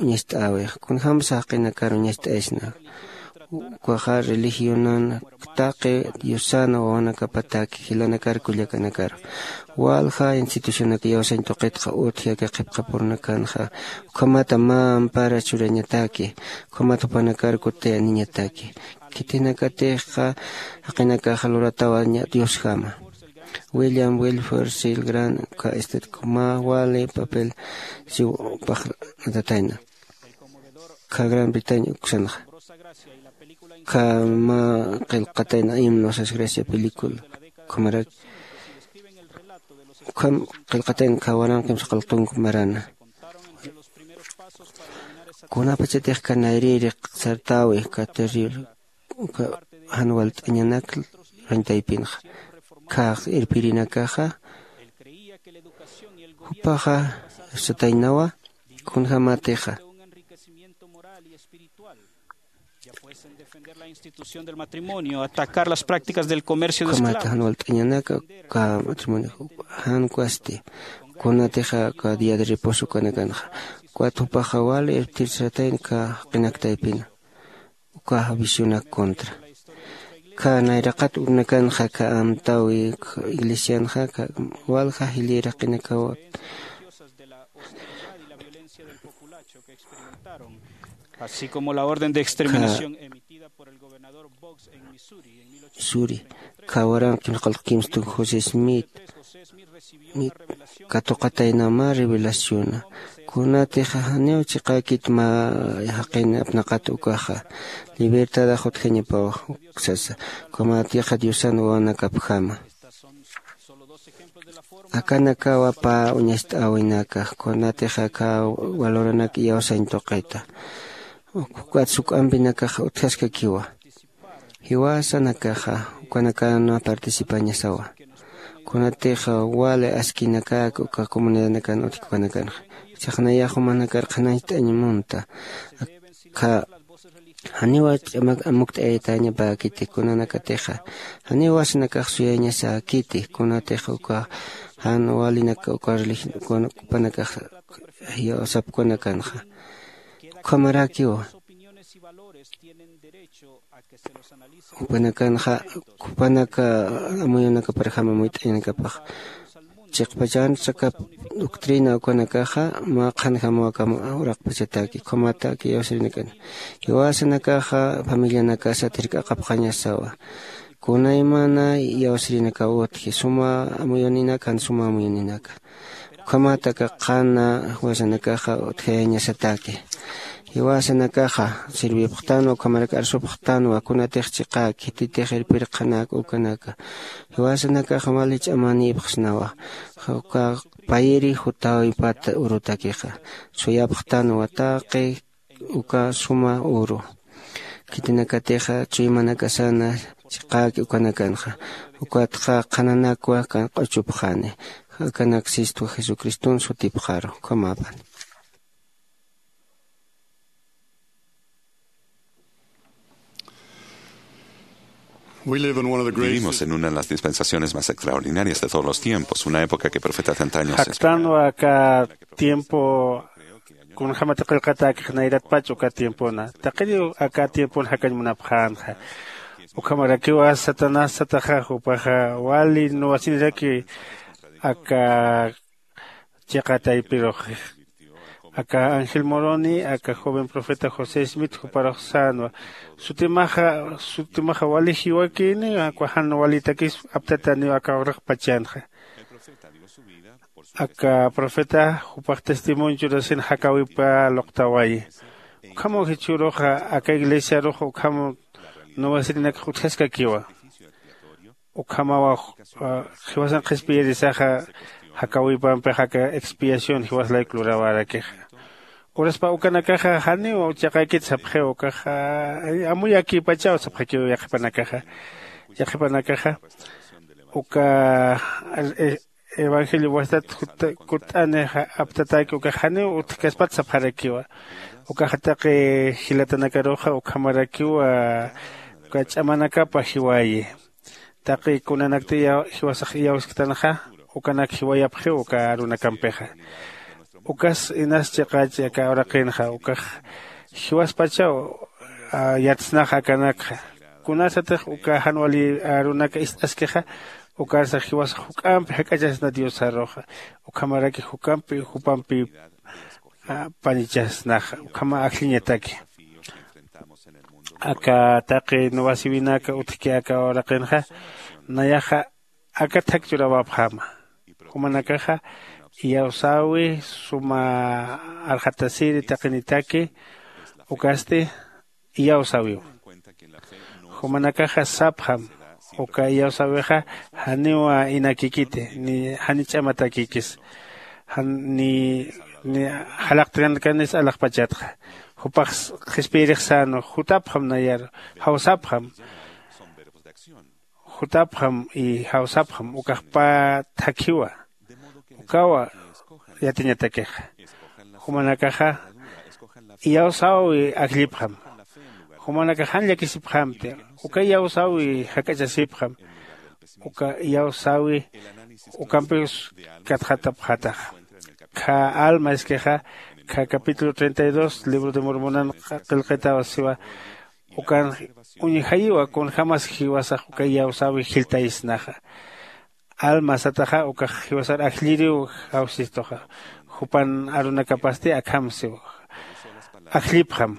uñast'äwix kunjamsa jaqinakar uñast'aysna. Ukaxa religionan taqi diosan wawanakapataki jilanakar kullakanakar walja institucionak iyawsañ tuqitxa utji aka qhipqapurnakanxa. Ukhamata mä ampara churañataki ukhamata jupanakar kutayaniñataki. Khitinakatixa jaqinakaxa luratawaña diosjama. William wilfer sil gran uka estetku mä wali papel siw paxratatayna. Kha gran bretaña uksanxa kha mä qillqatayna himno sas gracia película. Ukhamarak ukham qillqatayna kha waranqim saqalqunku marana. Kunapachatix kha nayrïri sartäwi kha terrible uka jan walt'añanak rañtaypinxa kha irpirinakaxa jupaxa sataynawa. Kunjamatixa Ya pueden defender la institución del matrimonio, atacar las prácticas del comercio de esclavos. Ukhamata jan walt'añanaka uka matrimonio jan kwasti kunatixa uka día de reposo ukanakanxa ukat jupaxa wali irptir satayna kha qinaktaypina. Ukaxa visionak contra kha nayraqat urnakanxa kha amtawi iglesianxa kha walja jilïraqinakawa. Así como la orden de exterminación emitida por el gobernador Boggs en Missouri en mil ochocientos suri kha waranqim saqalqu kimstun josé smith. Katuqataynama revelaciona kunatixa janiw chiqäkit mä jaqin apnaqat ukaxa libertadax utjañapawa. Sasa ukhamatixa diosan wawanakapjama. Akanakawa pä uñast'äwinakax kunatixa aka valoranak iyawsañ tuqita ukat suk'ampinakax utjaskakiwa. Jiwasanakaxa ukanakanwa participañasawa. Kunatixa wali askinakak uka comunidadnakan utjki ukanakanxa sixnayax jumanakar qhanañcht'añ munta. Akha janiw amukt'ayatañapäkiti kunanakatixa janiw wasinakax suyañasäkiti kunatix uka jan walinak uka religion jupanakax sapkünakanxa. Ukhamarakiwa jupanakanxa jupanaka amuyunakaparjama amuyt'añanakapax chiqpachan saka doctrina ukanakaxa mä qhanjamawakam uraqpachataki ukhamataki iyawsirinakan jiwasanakaxa familianakasa thirk'aqapxañasawa. Kunaymana iyawsirinakaw utji suma amuyuninak jan suma amuyuninaka ukhamataka qhana jiwasanakaxa utjayañasataki. Jiwasanakaxa sirvipxtanwa ukhamaraki arsupxtanwa kunatix chiqäki khititix irpirqhanaka ukanaka. Jiwasanakaxa wali ch'amanïpxsnawa. Uka payiri jutäwipat urutakixa suyapxtanwa taqi uka suma uru. Khitinakatixa chuymanakasana chiqäki ukanakanxa. Ukatxa qhananakwa kan q'uchupxani. Akanak sistwa jesucriston sutipxaru. Ukhamäpan. Vivimos en una de las dispensaciones más extraordinarias de todos los tiempos, una época que profetas de antaño se esperaban. Jaktanwa aka tiempo kunjämati qillqatäkix nayratpach uka tiempona taqiniw aka tiempon jakañ munapxänxa. Ukhamarakiwa satanás sataxa jupaxa wali nuwasiniraki aka chiqa taypirux. Aka ángel moroni aka joven profeta josé smith juparux sänwa. Sutimaxa sutimaxa wali jiwakïni aka jan walitakis aptataniw aka uraqpachanxa. Aka profeta jupax testimonio churasin jakäwipa luqtawayi. Ukhamaw jichhüruxa aka iglesiarux ukham nuwasirinakx utjaskakiwa. Ukhamawa jiwasan qhispiyirisaxa jakäwipampix aka expiación jiwas layku luräwarakixa. Uraspa ukanakaxa janiw chiqäkit sapxiw ukaxa amuyakïpachaw sapxakiw yaqhipanakaxa. Yaqhipanakaxa uka evangelio wastat kutt'ani aptatäki ukax janiw utjkaspat sapxarakiwa. Ukaxa taqi jilatanakaruxa ukhamarakiwa uka ch'amanakapa jiwayi. Taqi kunanakti jiwasax iyawsktanxa ukanak jiwayapxiw uka arunakampixa. Ukas inas chiqächi aka uraqinxa ukax jiwaspachaw yatsnaxa akanakxa. Kunasatix uka jan wali arunaka ist'askixa ukarsa jiwasax juk'ampi jak'achasna diosaruxa. Ukhamaraki juk'ampi jupampi panichasnaxa ukhama ajlliñataki. Aka taqi nuwasiwinaka utjki aka uraqinxa nayaxa aka thak churawapxäma. Jumanakaxa iyawsäwi suma arxatasiri taqinitaki ukasti iyawsäwiw. Jumanakaxa sapxam uka iyawsäwixa janiw inakikiti ni jani ch'amatakikis ni jalaqtkankanis alaxpachatxa. Jupax qhispiyirix sänwa jutapxam nayaru jawsapxam. Jutapxam y jawsapxam ukax pä thakhiwa. Ukawa yatiñatakixa. Jumanakaxa iyawsäwi ajllipxam. Jumanakax jan llakisipxamti. Uka iyawsäwi jak'achasipxam. Uka iyawsäwi ukampis katxatapxataxa. Kha alma iskixa kha capítulo treinta y dos libro de mormonan qillqitaw siwa. Ukan uñjayiwa kunjämas jiwasax uka iyawsäwi jilltaysnaxa. Alma sataxa ukax jiwasar ajlliriw jawsistuxa. Jupan arunakapasti akham siwa. Ajllipxam.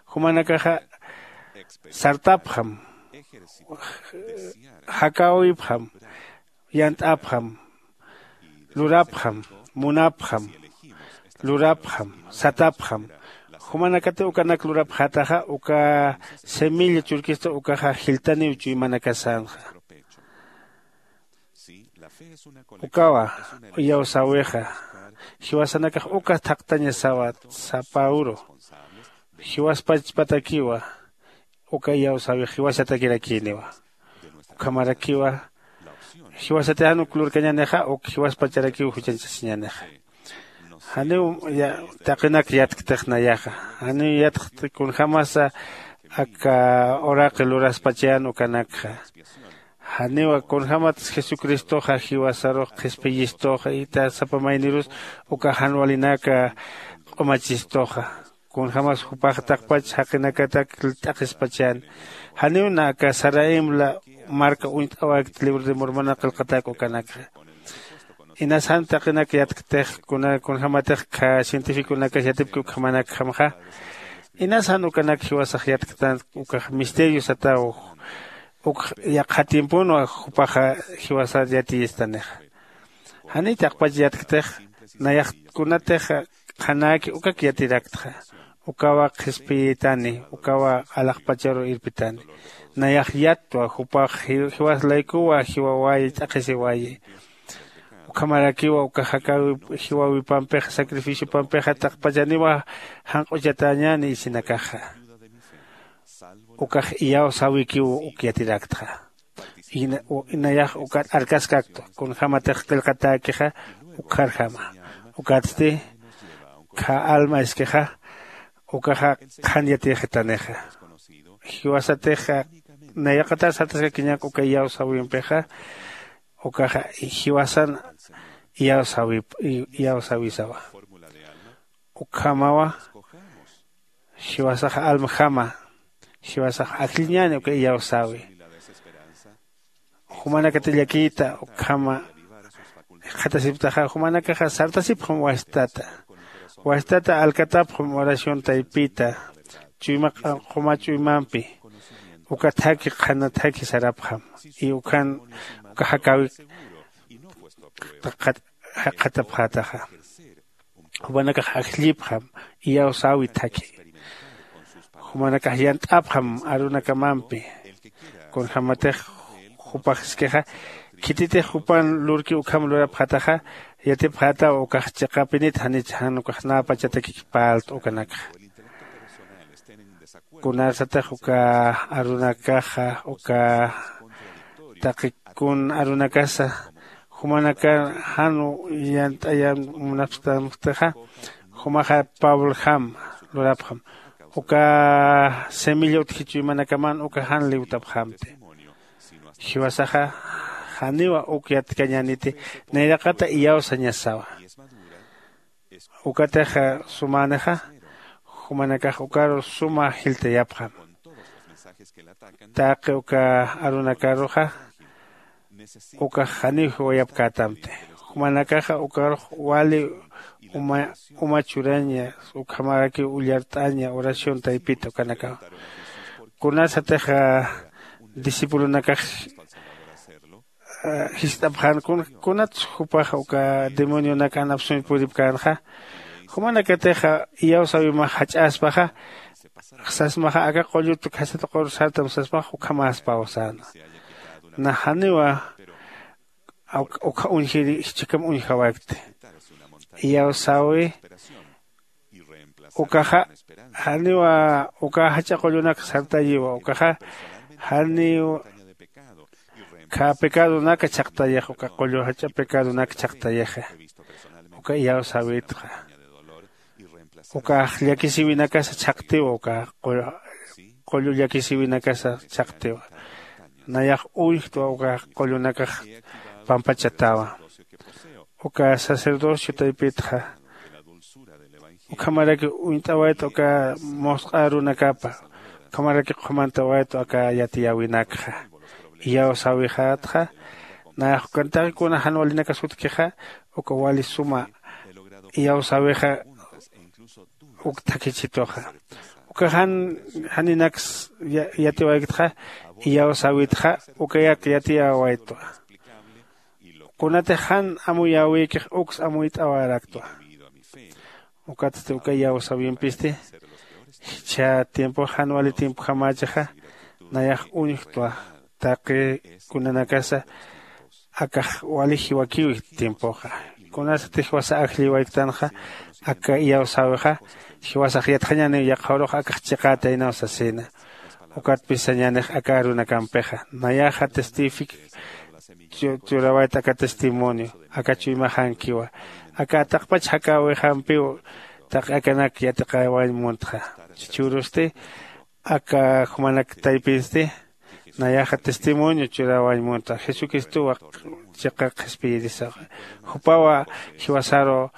Jumanakaxa sartapxam. Jakäwipxam. Yant'apxam. Lurapxam. Munapxam. Lurapxam. Satapxam. Jumanakati ukanak lurapxätaxa uka semilla churkistu ukaxa jilltaniw chuymanakasänxa. Ukawa iyawsäwixa jiwasanakax uka thaqtañasawa. Sapa uru jiwaspachpatakiwa. Uka iyawsäwix jiwasatakirakïniwa. Ukhamarakiwa jiwasati jan uk lurkañänixa uk jiwaspacharakiw juchañchasiñänixa. Janiw taqinak yatktix nayaxa. Janiw yatxt kunjämasa aka uraqi luraspachayän ukanakxa. Janiwa kunjämat jesucristoxa jiwasarux qhispiyistuxa ita sapa maynirus uka jan walinaka q'umachistuxa. Kunjämas jupax taqpach jaqinakatak t'aqhispachäni. Janiw na aka saraim marka uñt'awakti libro de mormona qillqatak ukanakxa. Inas jan taqinak yatktix kunjämatix kha cientificonakas yatipki ukhamanakjamxa. Inas jan ukanak jiwasax yatktan ukax misterio sataw. Ukx yaqha tiemponwa jupaxa jiwasar yatiyistanixa. Janiy taqpach yatktix nayax kunatix qhanäki ukak yatiraktxa. Ukawa qhispiyitani, ukawa alaxpacharu irpitani. Nayax yattwa jupax jiwas laykuwa jiwawayi ch'aqhisiwayi. Ukhamarakiwa uka jakawi jiwawipampixa sacrificiopampixa taqpachaniwa janq'uchatañäni isinakaxa. Ukax iyawsäwikiw uk yatiraktxa. Inayax ukat arkaskaktwa kunjämatix qillqatäkixa. Ukharjama ukatsti khä alma iskixa ukaxa qhan yatiyxitanixa. Jiwasatixa nayraqatar sartaskakiñak uka iyawsäwimpixa. Ukaxa jiwasan iyawsäwisawa. Ukhamawa jiwasaxa almajama jiwasaxa ajlliñäni uka iyawsäwi. Jumanakati llakiyta ukhama jikxatasipktaxa jumanakaxa sartasipxam wastata. Wastata alkatapxam oración taypita chuyma q'uma chuymampi. Uka thaki qhana thaki sarapxam y ukhan uka jakäwi jaqhatapxätaxa. Jumanakax ajllipxam iyawsäwi thakhi. Jumanakax yant'apxam arunakamampi. Kunjämatix jupax iskixa khititix jupan lurki ukham lurapxätaxa. Yatipxätaw ukax chiqapinit janich jan ukax näpachatakik parlt'a ukanakxa. Kunarsatix uka arunakaxa uka taqi kun arunakasa jumanakar jan yant'ayam munapxtamktixa. Jumaxa pablojam lurapxam uka semilla utji chuymanakaman uka jan liwtapxamti. Jiwasaxa janiwa uk yatkañäniti nayraqata iyawsañasawa. Ukatix sumänixa jumanakax ukaru suma jiltayapxam. Taqi uka arunakaruxa ukax janiw jiwayapkätamti. Jumanakaxa ukarux wali uma churaña ukhamarakiw ullart'aña oración taypita ukanakaw. Kunasatix discipulonakax jist'apxän kunats jupax uka demonionak anapsuñ puripkänxa? Jumanakatixa iyawsäwimax jach'aspaxa sasmaxa aka qullut khasat q'ur sartam sasmax ukhamäspaw säna. Naxaniwa ukha uñjiri jichhakam uñjawakti. Iyawsäwi ukaxa janiwa uka jach'a qullunak sartayiwa ukaxa janiw khä pecadonak chhaqtayixa uka qullu jach'a pecadonak chhaqtayixa. Uka iyawsäwitxa ukax llakisïwinakasa chhaqtiwa uka qullu llakisïwinakasa chhaqtiwa. Nayax uñjtwa uka qullunakax pampachatawa. Uka sacerdocio taypitxa ukhamaraki uñt'awayta uka musq'a runakapa ukhamaraki qhumantawayta aka yatiyäwinakxa. Iyawsäwixätxa nayax ukan taqi kuna jan walinakas utjkixa uka wali suma iyawsäwixa uk thakhichituxa. Uka jan janinaks yatiwayktxa iyawsäwitxa ukayak yatiyäwaytwa. Kunatix jan amuyäwïkix uks amuyt'awaräktwa. Ukatsti uka iyawsäwimpisti jichha tiempox jan wali tiempojamächixa nayax uñjtwa. Taqi kunanakasa akax wali jiwakiw tiempoxa. Kunasatix jiwasa ajlliwayktanxa aka iyawsäwixa jiwasax yatxañäniw yaqha urux akax chiqätaynaw sasïna. Ukatpis sañänix aka arunakampixa nayaxa testific churawayta aka testimonio aka chuymaxankiwa aka ataqpach jakäwixampiw taqi akanak yatiqäwañ muntxa. Chhürusti aka jumanak taypinsti nayaxa testimonio churäwañ munta jesucristowa chiqa qhispiyirisaxa. Jupawa jiwasaru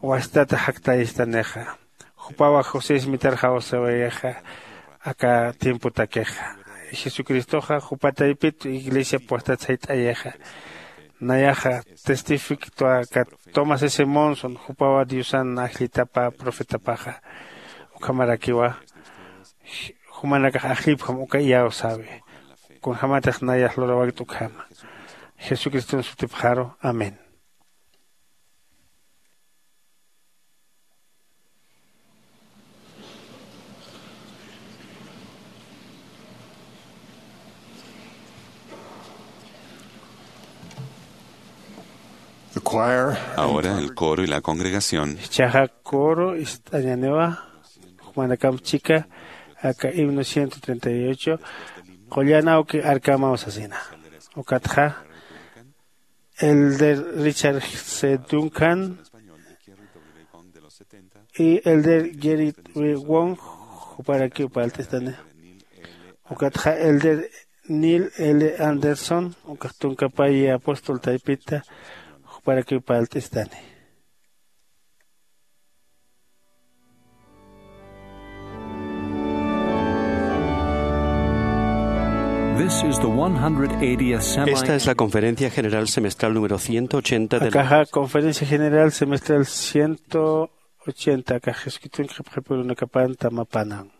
wastata jaktayistanixa. Jupawa josés mitar jawsawayixa aka tiempotakixa. Jesucristoxa jupa taypit iglesia puestat sayt'ayixa. Nayaxa testifiktwa aka tomás s monson jupawa diosan ajllitapa profetapaxa. Ukhamarakiwa jumanakax ajllipjam uka iyawsäwi. Kunjämatix nayax lurawakt ukhama jesucriston sutipxaru. Amén. Ahora el coro y la congregación. Jichhaxa coro ist'añaniwa, jumanakamp chika aka himno ciento treinta y ocho, qullan awki arkamaw sasina. Ukatxa, Elder Richard C. Duncan y Elder Gerrit W. Wong, juparakiw parlt'istani. Ukatxa Elder Neil L. Anderson, ukax tunkapay apóstol taypita, juparakiw parlt'istani. This is the one hundred eightieth semi- Esta es la Conferencia General Semestral número ciento ochenta de la Akaxa Conferencia General Semestral ciento ochenta, akax Jesucristo qhipqhipurunakapan tamapanan.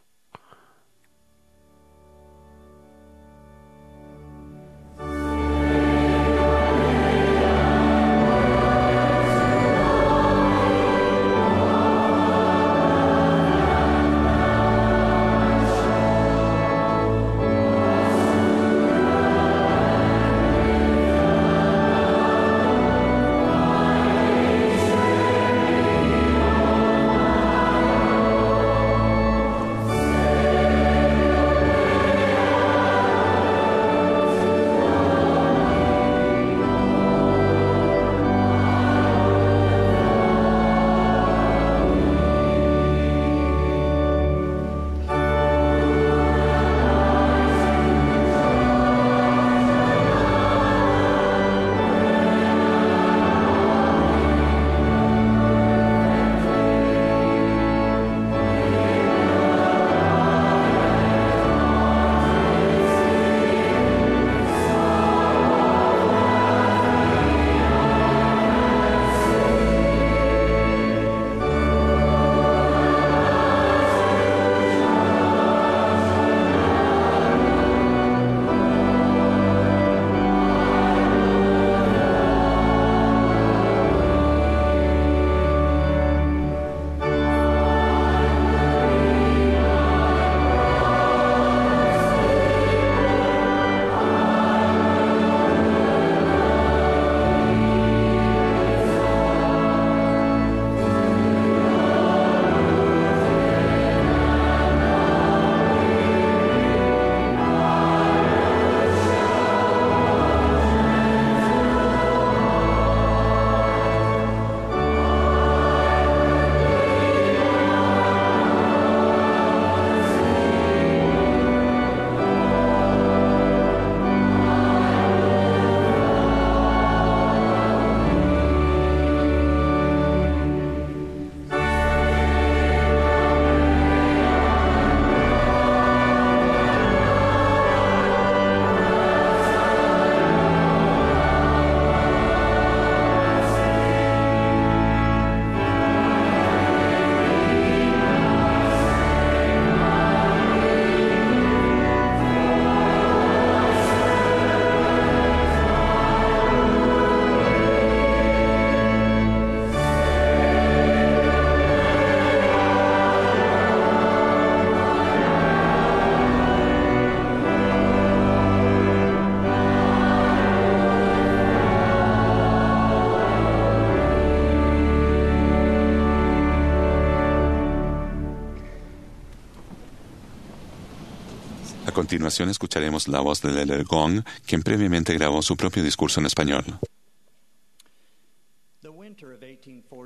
A continuación escucharemos la voz del Elder Gong, quien previamente grabó su propio discurso en español.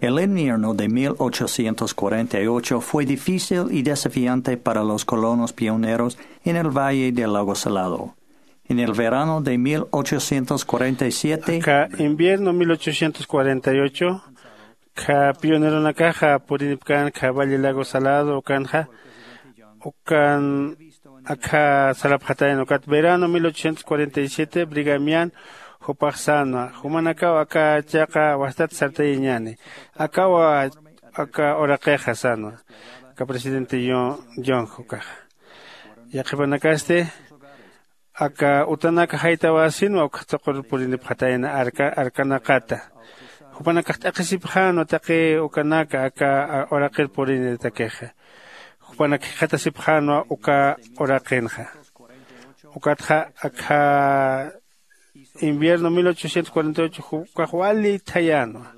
El invierno de mil ochocientos cuarenta y ocho fue difícil y desafiante para los colonos pioneros en el Valle del Lago Salado. En el verano de mil ochocientos cuarenta y siete, Aka invierno mil ochocientos cuarenta y ocho, kha pioneronakaxa purinipkan kha Valle Lago Salado ukanxa, ukan akha sarapxatayna ukat verano mil ochocientos cuarenta y siete, Brigham Young jupax sänwa, jumanakaw aka chiqa wastat sartayañäni, akawa aka uraqixa sänwa, aka presidente Young, Young ukaxa. Yaqhipanakasti aka utanak jaytawasïnwa uk thuqur purinipxatayna arka, arkanaqata. Jupanakax t'aqhisipxänwa taqi ukanaka aka, a, uraqir purinitakixa. Jupanak jikxatasipxänwa uka uraqinxa. Ukatxa akha invierno mil ochocientos cuarenta y ocho ukax wali thayänwa.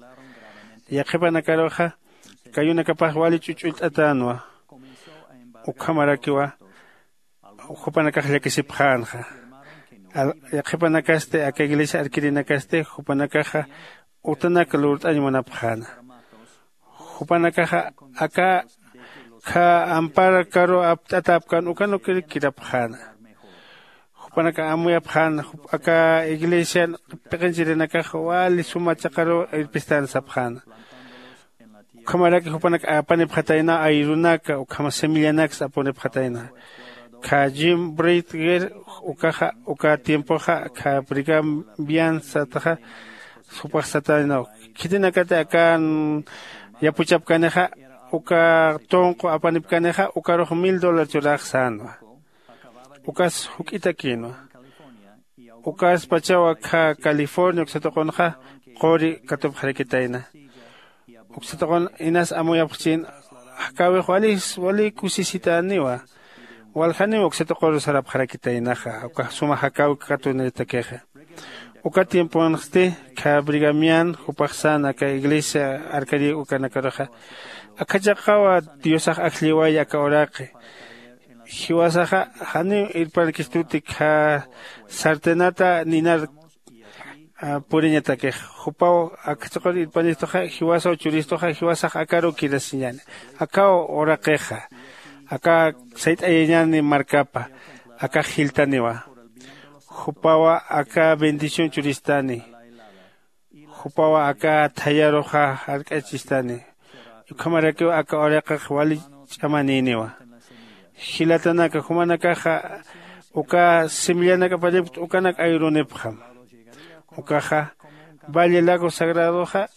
Yaqhipanakaruxa kayunakapax wali ch'uch'ullt'atänwa. Ukhamarakiwa jupanakax llakisipxänxa. Yaqhipanakasti aka iglesia arkirinakasti jupanakaxa utanak lurt'añ munapxäna. Jupanakaxa aka khä amparkaru apt'atäpkän ukanukir kirapxäna. Jupanaka amuyapxäna aka iglesian p'iqinchirinakax wali suma chaqaru irpistän sapxäna. Ukhamaraki jupanak apanipxatayna ayrunaka ukhama simillanak apunipxatayna. Kha jim britger ukaxa uka tiempoxa kha brigambian sataxa jupax sataynaw khitinakati akan yapuchapkanixa uka tunqu apanipkanixa ukarux mil dólar churax sänwa. Ukas juk'itakïnwa. Ukaspachaw akha california uksatuqunxa quri katupxarakitayna. Uksatuqun inas amuyapxchin jakäwix walis wali kusisitäniwa. Waljaniw uksatuquru sarapxarakitaynaxa uka suma jakäwi katunitakixa. Uka tiemponsti kha brigamian jupax sän aka iglesia arkarik ukanakaruxa akha chaqawa diosax ajlliway aka uraqi. Jiwasaxa janiw irpankistuti kha sartenata ninar puriñatakix. Jupaw akchaqur irpanistuxa jiwasaw churistuxa jiwasax akaruw kirasiñäni. Akaw uraqixa aka sayt'ayañäni markapa akax jiltaniwa. Jupawa aka bendición churistani. Jupawa aka thayaruxa jark'achistani. Ukhamarakiw aka uraqix wali ch'amanïniwa. Jilatanaka jumanakaxa uka simillanakaparipkt ukanak ayrunipxam. Ukaxa valle lago sagradoxa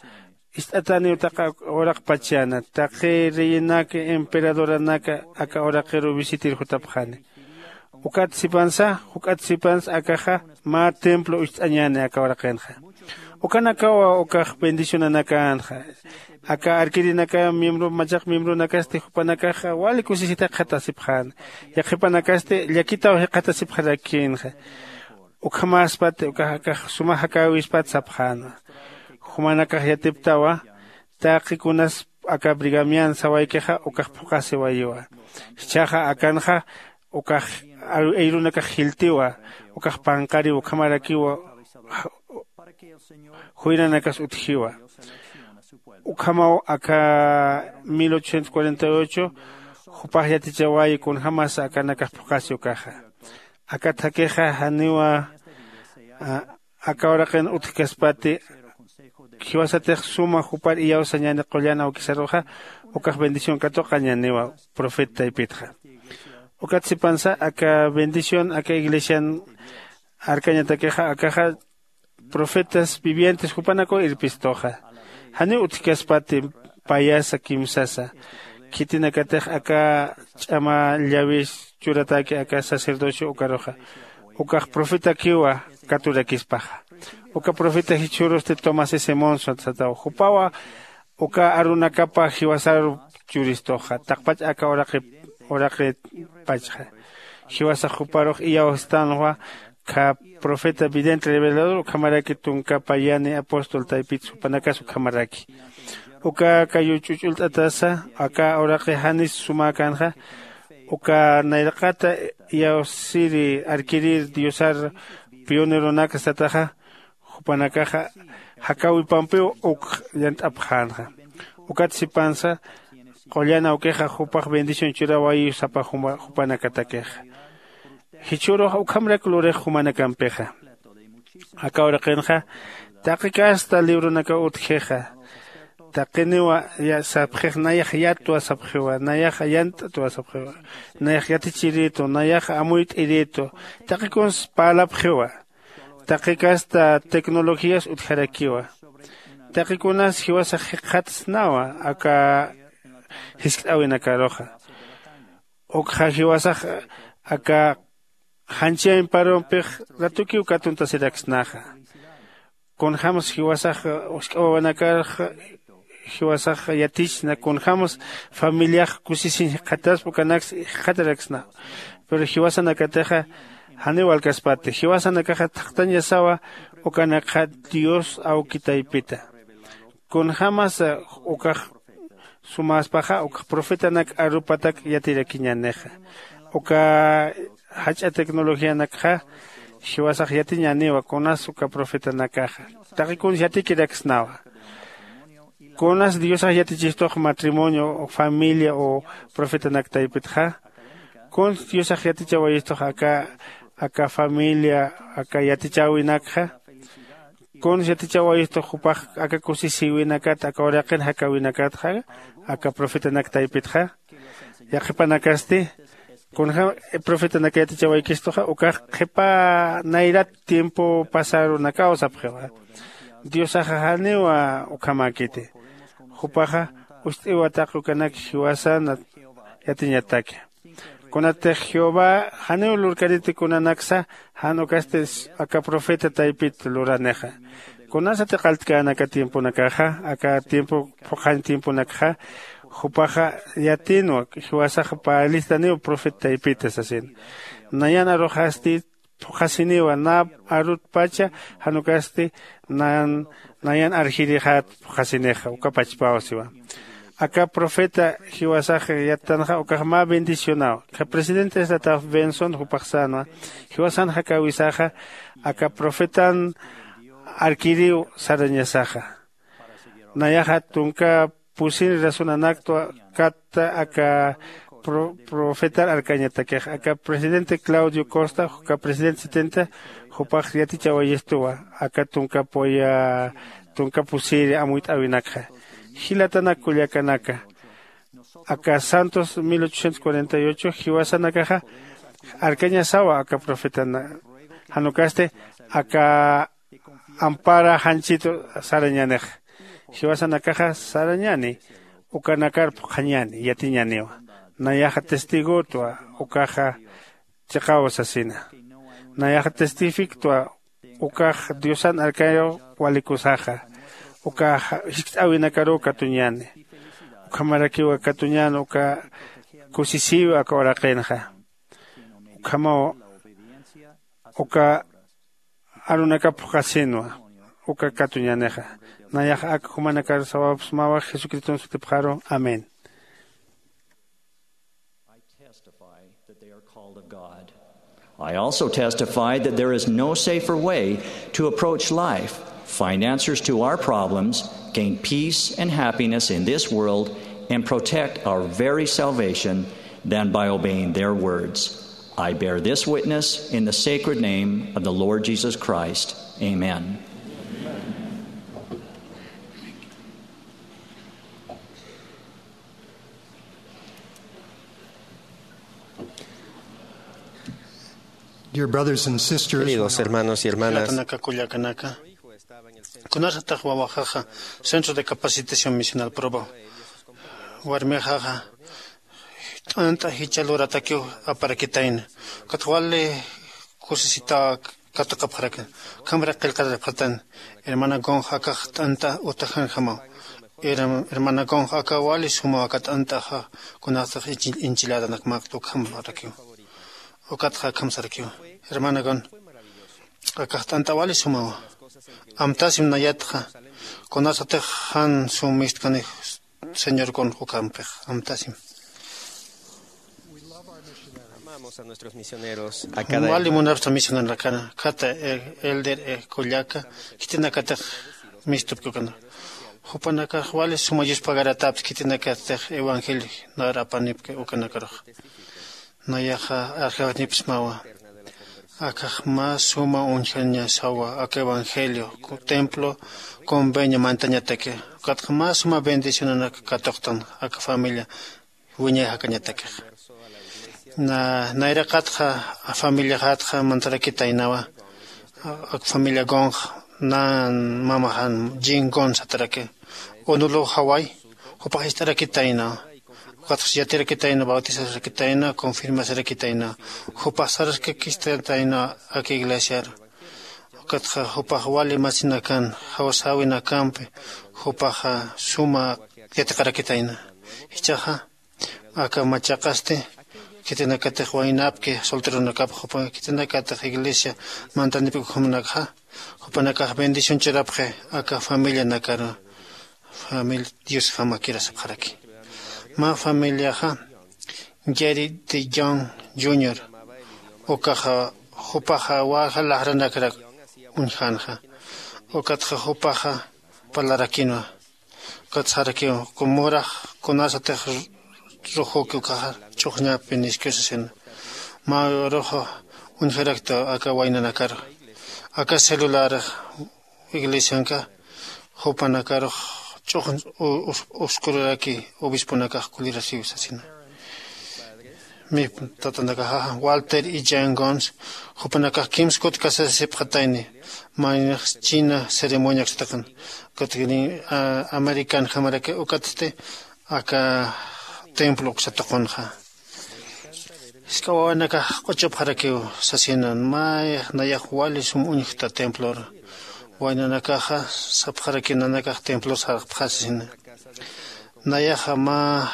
ist'atäniw taqa uraqpachana taqi reyenak emperadornak aka uraqiru visitir jutapxani. Ukat sipansa juk'at sipansa akaxa mä templo ucht'añäni aka uraqinxa. Ukanakawa ukax bendicionanakänxa. Aka arkirinaka miembro machaq miembronakasti jupanakaxa wali kusisitak jikxatasipxäna. Yaqhipanakasti llakitaw jikxatasipxarakïnxa. Ukhamäspati ukax akax suma jakäwispat sapxäna. Jumanakax yatiptawa taqi kunas aka brigamian sawaykixa ukax phuqhasiwayiwa. Jichhaxa akanxa ukax ayrunakax jiltiwa. Ukax panqariw ukhamarakiwa juyranakas utjiwa. Ukhamaw aka mil ochocientos cuarenta y ocho jupax yatichawayi kunjämasa akanakax phuqhasi ukaxa. Aka thakixa janiwa aka uraqin utjkaspati jiwasatix suma jupar iyawsañäni qullan awkisaruxa ukax bendición katuqañäniwa profeta taypitxa. Ukat sipansa aka bendición aka iglesian arkañatakixa akaxa profetas vivientes jupanakaw irpistuxa. Janiw utjkaspati payasa kimsasa khitinakatix aka ch'ama llawis churatäki aka sacerdocio ukaruxa ukax profetakiwa katurakispaxa. Uka profeta jichhürusti tomás s monson sataw jupawa uka arunakapa jiwasaru churistuxa taqpach aka uraqi uraqipachxa. Jiwasax juparux iyawstänwa kha profeta vidente revelador ukhamaraki tunkapa yani apóstol taypit supanakas ukhamaraki. Uka kayu ch'uch'ullt'atasa aka uraqi janis sumäkänxa uka nayraqata iyawsiri arkirir diosar pioneronak sataxa jupanakaxa jakäwipampiw uk yant'apxänxa. Ukat sipansa qullan awkixa jupax bendición churawayiw sapa jupanakatakixa. Jichhürux ukhamrak lurix jumanakampixa. Aka uraqinxa taqi kasta libronakaw utjixa. Taqiniwa sapxix nayax yatwa sapxiwa nayax yant'twa sapxiwa nayax yatichiritu nayax amuyt'iritu taqi kuns parlapxiwa. Taqi kasta tecnologías utjarakiwa. Taqi kunas jiwasax jikxatsnawa aka jiskt'äwinakaruxa. Ukxa jiwasax aka janchi amparumpix ratukiw katuntasirakisnaxa. Kunjämsa jiwasax usk'awawanakarxa jiwasax yatichsna kunjämsa familiax kusisiñ jikxataspa ukanaksa jikxataraksnaw. Pero jiwasanakatixa Janiw alkaspati jiwasanakaxa thaqtañasawa ukanakxa dios awki taypita. Kunjämasa ukax sumäspaxa ukax profetanak arupatak yatirakiñänixa. Uka jach'a tecnologianakxa jiwasax yatiñäniwa kunas uka profetanakaxa. Taqi kuns yatikiraksnawa kunas diosax yatichistux matrimonio o familia o profetanak taypitxa. Kuns diosax yatichawayistux aka aka familia aka yatichäwinakxa. Kuns yatichawayistux jupax aka kusisïwinakat aka uraqin jakäwinakatxa aka profetanak taypitxa. Yaqhipanakasti kunjäm profetanak yatichawaykistuxa ukax qhipa nayrat tiempo pasarunakaw sapxiwa. Diosaxa janiw ukhamäkiti. Jupaxa ust'iwa taqi ukanak jiwasan yatiñataki. Kunatix jehová janiw lurkaniti kunanaksa jan ukasti aka profeta taypit luranixa. Kunasati qalltkän aka tiemponakaxa aka tiempo phuqhañ tiemponakxa jupaxa yatinwa jiwasaxa parlistaniw profeta taypita sasin. Nayan aruxasti phuqhasiniwa na arutpacha jan ukasti nayan nayan arjirixat phuqhasinixa uka pachpaw siwa. Aka profeta jiwasax yattanxa ukax mä bendicionaw. Presidente estataf benson jupax sänwa jiwasan jakäwisaxa aka profetan arkiriw sarañasaxa. Nayaxa tunka pusin razonanaktwa katta aka profetar arkañatakix aka presidente claudio costa aka presidente setenta jupax yatichawayistuwa aka tunka puya tunka pusiri amuyt'äwinakxa. Jilatanak kullakanaka aka santos mil ochocientos cuarenta y ocho jiwasanakaxa arkañasawa aka profetana jan ukasti aka ampara janchitu sarañänixa. Jiwasanakaxa sarañäni ukanakar phuqhañäni yatiñäniwa. Nayaxa testigotwa ukaxa chiqaw sasina. Nayaxa testifiktwa ukax diosan arkayaw walikusaxa ukax jiskt'äwinakaruw katuñäni. Ukhamarakiwa katuñän uka kusisïwi aka uraqinxa. Ukhamaw uka arunakap phuqhasinwa uka katuñänixa. Nayax ak jumanakar sawapxsmawa jesucriston sutipxaru. Amén. I testify that they are called of God. I also testify that there is no safer way to approach life, find answers to our problems, gain peace and happiness in this world, and protect our very salvation than by obeying their words. I bear this witness in the sacred name of the Lord Jesus Christ. Amen. Dear brothers and sisters, queridos hermanos y hermanas, jilatanaka kullakanaka, kunasatix wawaxaxa centro de capacitación misional probo warmixaxa t'ant'a jichha luratakiw aparakitayna. Ukatxa wali kusisitaw katuqapxarakina. Ukhamarak qillqarapxatan hermana gonx akax t'ant'a utajanjamaw. Hermana gonx aka wali sumaw aka t'ant'axa kunasatix inchiladanak maqt'u ukhamarakiw. Ukatxa akham sarakiw hermana gonx akax t'ant'a wali sumawa. Amtasim nayatxa kunasatix jan sum mistkanix señor gonx ukampix amtasim. Wali munapxta misioneronakana khata elder kullaka khitinakatix mistupki ukana. Jupanakax wali suma yuspagaratapta khitinakatix evangelio nar apanipki ukanakarux. Nayaxa arjawatnipsmawa. Akax mä suma uñjañasawa aka evangelio templo convenio mantañataki. Ukatxa mä suma bendicionanak katuqtan aka familia wiñay jakañatakix. Nayraqatxa familiaxatxa mantarakitaynawa. Ak familia gonx nan mamaxan jin gon sataraki. Unuluw jaway jupax ist'arakitaynawa. Ukatxa yatirakitaynawa bautizasarakitaynawa confirmasarakitaynawa. Jupax saraskakistataynawa ak iglesiaru. Ukatxa jupax wali masinakan jawsäwinakampi jupaxa suma yatiqarakitayna. Jichhaxa aka machaqasti khitinakatix waynapki solteronakapxa jupa khitinakatix iglesia mantanipki ukhamanakxa jupanakax bendición churapxi aka familianakaru. Familia diosjama kirasapxaraki. Mä familiaxa Jerry de John junior ukaxa jupaxa waja lajranakrak uñjanxa. Ukatxa jupaxa parlarakinwa. Ukat sarakiw kumurax kunasatix rujuki ukaxa ch'uxñapi niskiw sasina. Mä uruxa uñjarakta aka waynanakaru aka celular iglesianka jupanakarux ch'uxñ uskururaki obisponakax kulirasiw sasina. Mip tatanakaxa walter y jan gons jupanakax kimskut kasasipxatayni. Maynax china ceremoniaksataqan ukat american jamaraki ukatsti aka templo uksatuqunxa. Jisk'a wawanakax q'uchupxarakiw sasina. May nayax wali sum uñjta templor waynanakaxa sapxaraki nanakax templor sarxpxas sasina. Nayaxa mä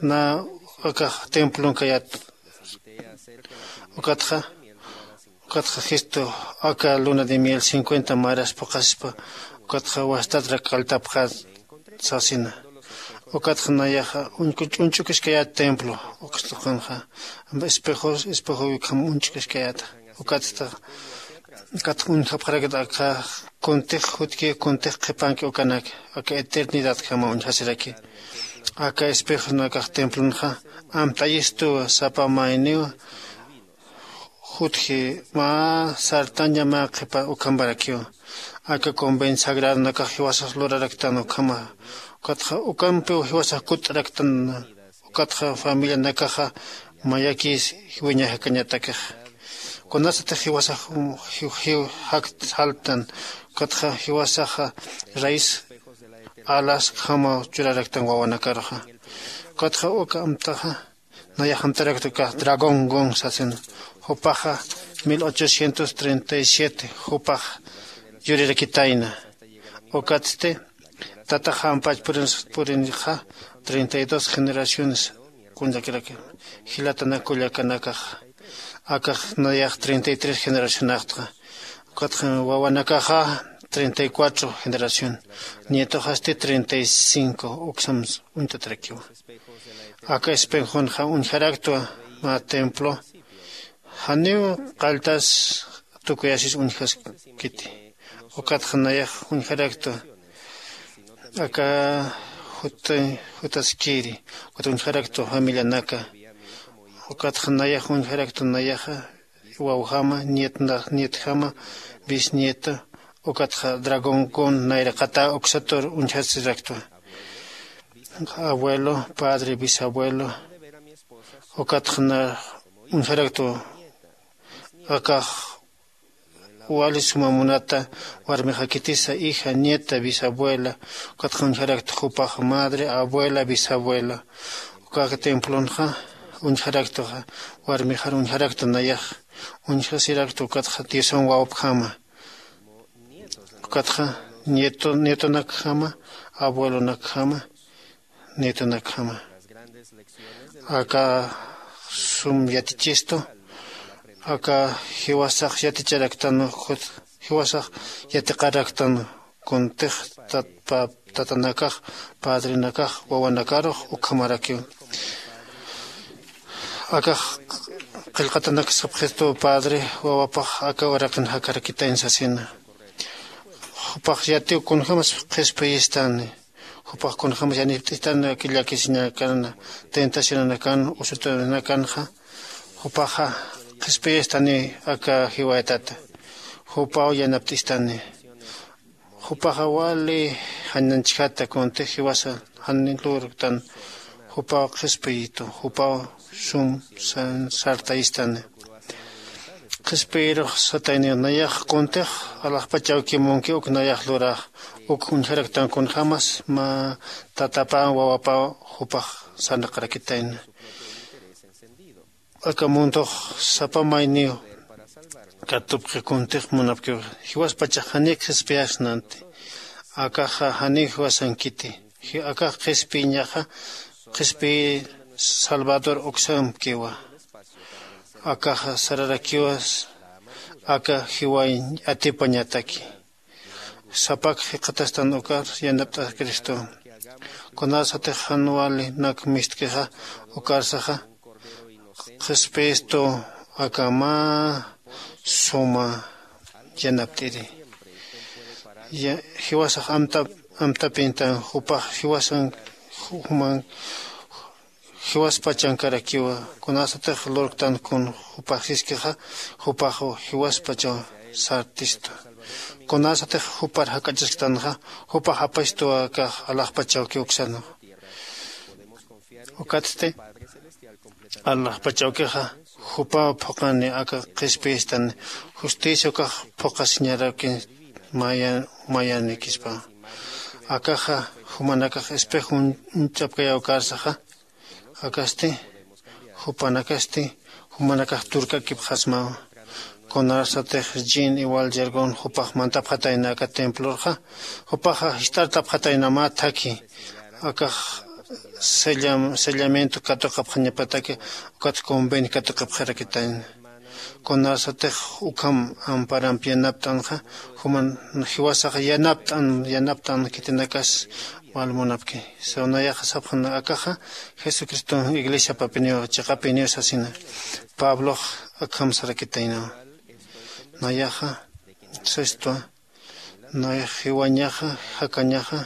na akax templon kayat ukatxa ukatxa jistu aka luna de miel cincuenta maras phuqhasispa ukatxa wastatrak kaltapxat sasina. Ukatxa nayaxa uñku ch'unch'ukiskayät templo ukstuqanxa espejos espejoyukham uñch'ukiskayäta. Ukatsta ukatxa uñjapxarakta aka kuntix jutki kuntix qhipanki ukanak aka eternidadjama uñjasiraki. Aka espejonakax templonxa amt'ayistuwa sapa mayniwa jutji mä sartaña mä qhipa ukhamparakiwa. Aka convent sagradonakax jiwasax luraraktan ukhama ukatxa ukampiw jiwasax kutt'araktan. Ukatxa familianakaxa mayakis wiñajakañatakix kunasatix jiwasax jiw jakt jaltan ukatxa jiwasaxa rais alasjamaw churaraktan wawanakaruxa. Ukatxa uka amtaxa nayax amtarakta ukax dragón gon sasin jupaxa mil ochocientos treinta y siete jupax yurirakitayna. Ukatsti tatax jampach purinxa treinta y dos generaciones kunllakiraki jilatanak kullakanakax. Akax nayax treinta y tres generacionaxtxa ukatxa wawanakaxa treinta y cuatro generación nietoxasti treinta y cinco uksam uñtatarakiwa. Aka espejonxa uñjaraktwa mä templo janiw qalltas tukuyasis uñjaskiti. Ukatxa nayax uñjaraktwa aka jutaskiri ukat uñjaraktwa familianaka ukatxa nayax uñjaraktwa nayaxa wawjama nietjama bisnieta ukatxa dragón kun nayraqata uksatur uñjasiraktwa. Abuelo padre bisabuelo ukatxa na uñjaraktwa akax wali suma munata warmixakitisa hija nieta bisabuela ukatxa uñjarakta jupax madre abuela bisabuela. Ukaka templonxa uñjaraktaxa warmixar uñjarakta nayax uñjasirakta ukatxa diosan wawapjama ukatxa nietonakjama abuelonakjama nietonakjama. Aka sum yatichistu aka jiwasax yaticharaktan jiwasax yatiqaraktan kuntix tatanakax padrenakax wawanakarux ukhamarakiw. Akax qillqatanak sapxistu padre wawapax aka uraqin jakarakitayn sasina. Jupax yatiw kunjämas qhispiyistani jupax kunjämas yanipt'istani aka llakisiñakanana tentacionanakan usutanakanxa jupaxa qhispiyistani aka jiwayatata jupaw yanapt'istani. Jupaxa wali jananchjata kuntix jiwasa jan lurktan jupaw qhispiyitu jupaw sum sartayistani. Qhispiyirux satayni nayax kuntix alaxpach awkimunki uk nayax lurax uk uñjaraktan kunjämas mä tatapa wawapa jupax sarnaqarakitayna. Aka mundox sapa mayniw katupxi kuntix munapkiw jiwaspachax janiw qhispiyasnanti. Akaxa janiw jiwasankiti akax qhispiyiñaxa qhispiyi salvador uksamkiwa. Akaxa sararakiwas aka jiwañ atipañataki. Sapak jikxatastan ukar yanapt'askristu. Kunasatix jan wali nak mistkixa ukarsaxa qhispistu aka mä suma yanapt'iri. Jiwasax amtapintan jupax jiwasan juman jiwaspachankarakiwa. Kunasatix lurktan kun jupax siskixa jupaxw jiwaspachaw sartistu. Kunasatix jupar jak'achasktanxa jupax apastuwa akax alaxpachawki uksanwa. Ukatsti alaxpachawkixa jupaw phuqani aka qhispiyistan justicia ukax phuqasiñarakin mayanikispa. Akaxa jumanakax espejo uñch'apkayaw karsaxa akasti jupanakasti jumanakax turk'akipxasmawa. Kunarsatix jin iwal yergon jupax mantapxatayna aka templorxa jupaxa jist'artapxatayna mä thakhi akax sellamiento katuqapxañapataki ukat convenio katuqapxarakitayna. Kunarsatix ukham amparamp yanapt'anxa juman jiwasax yanapt'an yanapt'an khitinakas walmunapki. Sawnayaxa sapxana akaxa jesucriston iglesiapapiniw chiqapiniw sasina. Pablox akham sarakitaynawa. Nayaxa sastwa nayax jiwañaxa jakañaxa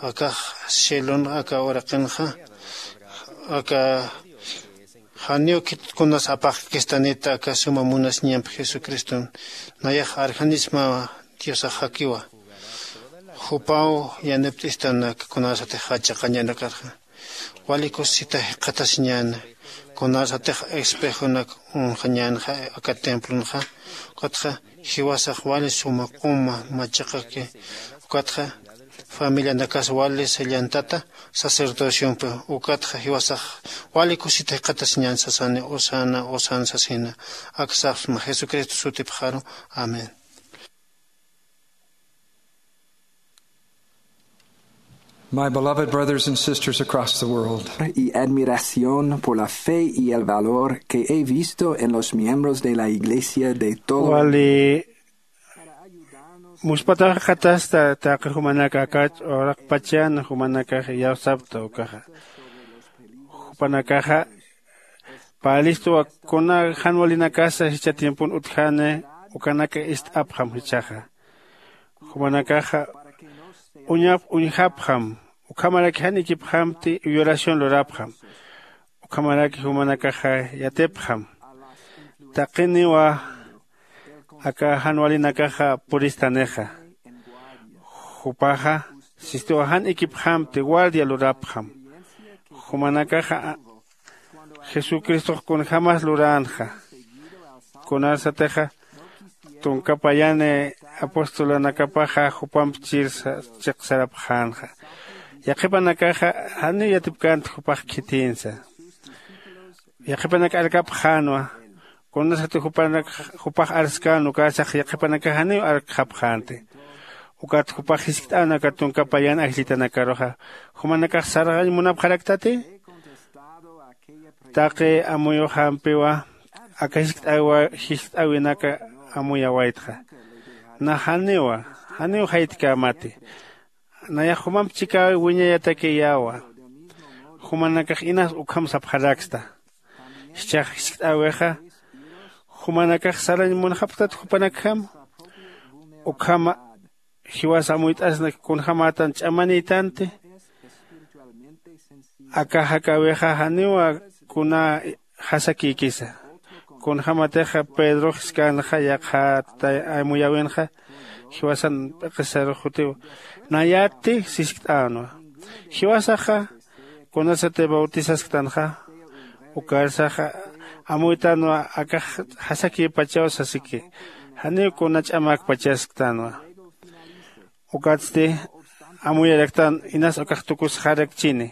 akax cielon aka uraqinxa aka janiw khitkunas apaqkistanita aka suma munasiñamp jesucriston nayax arjanismawa. Diosax jakiwa jupaw yanipt'istanak kunasatix jachaqañanakarxa wali kusisita jikxatasiñäna. Kunasatix espejonak unxañänxa aka templonxa ukatxa jiwasax wali suma q'uma machaqaki ukatxa familianakas wali sellantata sacerdociompi ukatxa jiwasax wali kusita jikxatasiñän sasani usana usan sasina. Aksapsma jesucristo sutipxaru. Amén. My beloved brothers and sisters across the world. Y admiración por la fe y el valor que he visto en los miembros de la iglesia de todo el mundo. Wali muspataxatasta taqi jumanaka akach uraqpachan jumanakax iyawsapta ukaxa jupanakaxa palistuwa kuna jan walinakasa jichha tiempon utjani ukanaka ist'apxam jichhaxa jumanakaxa uñap uñjapxam ukhamaraki jan ikipxamti uyu oración lurapxam ukhamaraki jumanakaxa yatipxam taqiniwa aka jan walinakaxa puristanixa jupaxa sistiwa jan ikipxamti guardia lurapxam jumanakaxa jesucristox kunjämas luränxa kunasatixa tunka payani apostolanakapaxa jupamp chirsa chiqsarapxänxa yaqhipanakaxa janiw yatipkänti jupax khitïnsa yaqhipanak arkapxänwa kunasati jupanak jupax arskän ukasax yaqhipanakax janiw arkxapxänti ukat jupax jiskt'än aka tunka payan ajllitanakaruxa jumanakax sarxañ munapxaraktati taqi amuyuxampiwa aka jiskt'äwinaka amuyawaytxa na janiwa janiw jaytkämati nayax jumamp chikäwi wiñayatakiyäwa jumanakax inas ukham sapxaraksta jichhax jiskt'äwixa jumanakax sarañ munxapktat jupanakjam ukhama jiwas amuyt'asnak kunjämätan ch'amanïtanti aka jakäwixa janiwa kuna jasakïkisa kunjämatixa pedrox jiskänxa yaqha amuyäwinxa jiwasan p'iqisarux jutiw nayatti siskt'änwa jiwasaxa kunasati bautisasktanxa ukarsaxa amuytänwa akax jasakïpachaw sasiki janiw kuna ch'amäkpachasktanwa ukatsti amuyaraktan inas ukax tukusxarakchini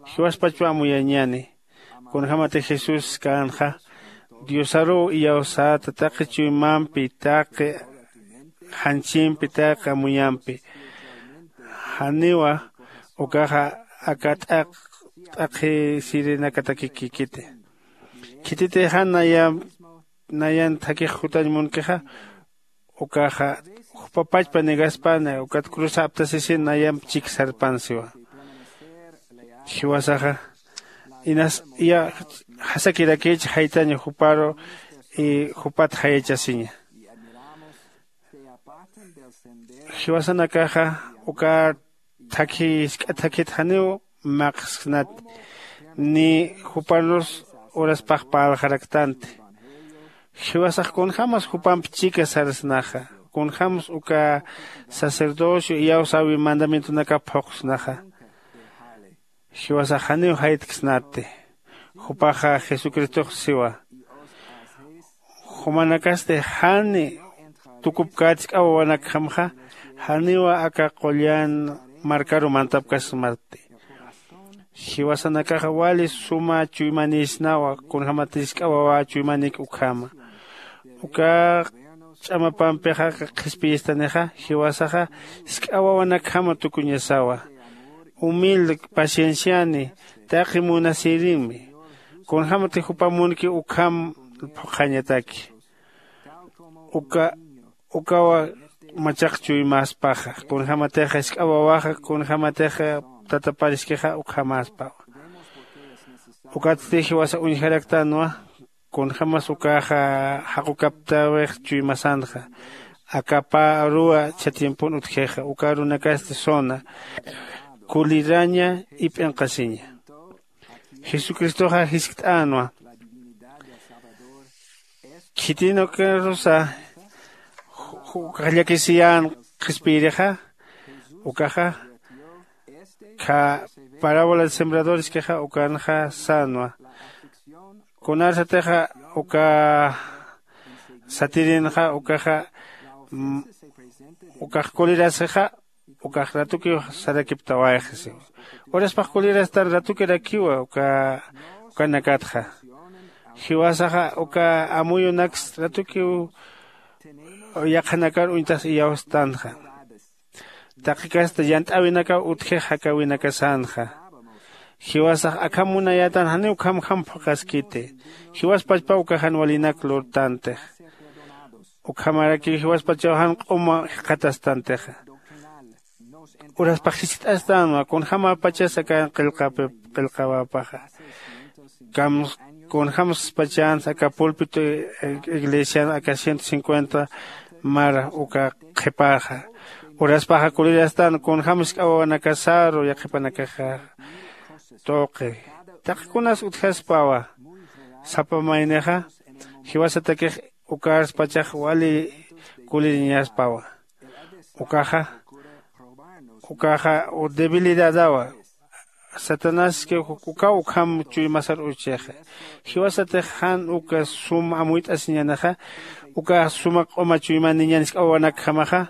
jiwaspachwa amuyañäni kunjämati jesús känxa diosaruw iyawsäta taqi chuymampi taqi janchimpi taqi amuyampi janiwa ukaxa aka t'aq t'aqhi sirinakatakikikiti khititi jan naya nayan thakix jutañ munkixa, ukaxa jupa pachpa negaspani ukat cruz aptasisin nayamp chik sarpan siwa. Jiwasaxa inas iya jasakirakich jaytaña juparu y jupat jayachasiña. Jiwasanakaxa uka thakhi jisk'a thakhit janiw maqsnat ni jupanus uraspax parlxaraktanti. Jiwasax kunjämas jupamp chika sarsnaxa, kunjämas uka sacerdocio iyawsäwi mandamientonakap phuqsnaxa. Jiwasax janiw jaytksnati. Jupaxa jesucristox siwa, jumanakasti jan tukupkät jisk'a wawanakjamxa, janiwa aka qullan markaru mantapkasmati. Jiwasanakaxa wali suma chuymanïsnawa kunjämat jisk'a wawa chuymanik ukhama. Uka ch'amapampixa qhispiyistanixa jiwasaxa jisk'a wawanakjama tukuñasawa. Humilde pacienciani, taqi munasïrinmi. Kunjämati jupa munki ukham phuqhañataki. Uka ukawa machaq chuymäspaxa, kunjämatixa jisk'a wawaxa, kunjämatixa tatapariskixa ukhamäspawa. Ukatsti jiwasa uñjaraktanwa kunjämas ukaxa jaqukaptäwix chuymasanxa. Aka pä aruwa chhatimpun utjixa uka arunakasti suna kuliraña ip'inqasiña. Jesucristoxa jiskt'änwa. Khitinukarusa ukax llakisiyän qhispiyirixa ukaxa kha parábola de sembradorskixa ukanxa sänwa. Kunarsatixa uka satirinxa ukaxa ukax kulirasixa ukax ratukiw sarakiptawayxi siwa. Uraspax kulirastan ratukirakiwa uka ukanakatxa. Jiwasaxa uka amuyunaks ratukiw yaqhanakar uñtas iyawstanxa. Taqikasta yant'äwinakaw utjix jakäwinakasanxa. Jiwasax akham munayätan janiw ukhamjam phuqhaskiti. Jiwaspachpa uka jan walinak lurtantix. Ukhamarakiw jiwaspachaw jan q'uma jikxatastantixa. Uraspax jiskt'astanwa kunjämapachas aka qillqawäpaxa. Kunjämspachans aka pulpito iglesian aka ciento cincuenta mara uka qhipaxa. Uraspaxa kulirastan kunjäm jisk'a wawanakasaru yaqhipanakaxa tuqi. Taqikunas utjaspawa sapa maynixa jiwasatakix ukarspachax wali kuliriñaspawa. Ukaxa ukaxa debilidadawa. Satanaski ukaw ukham chuymasar uchixa. Jiwasatix jan uka sum amuyt'asiñänixa uka suma q'uma chuymaniñan jisk'a wawanakjamaxa.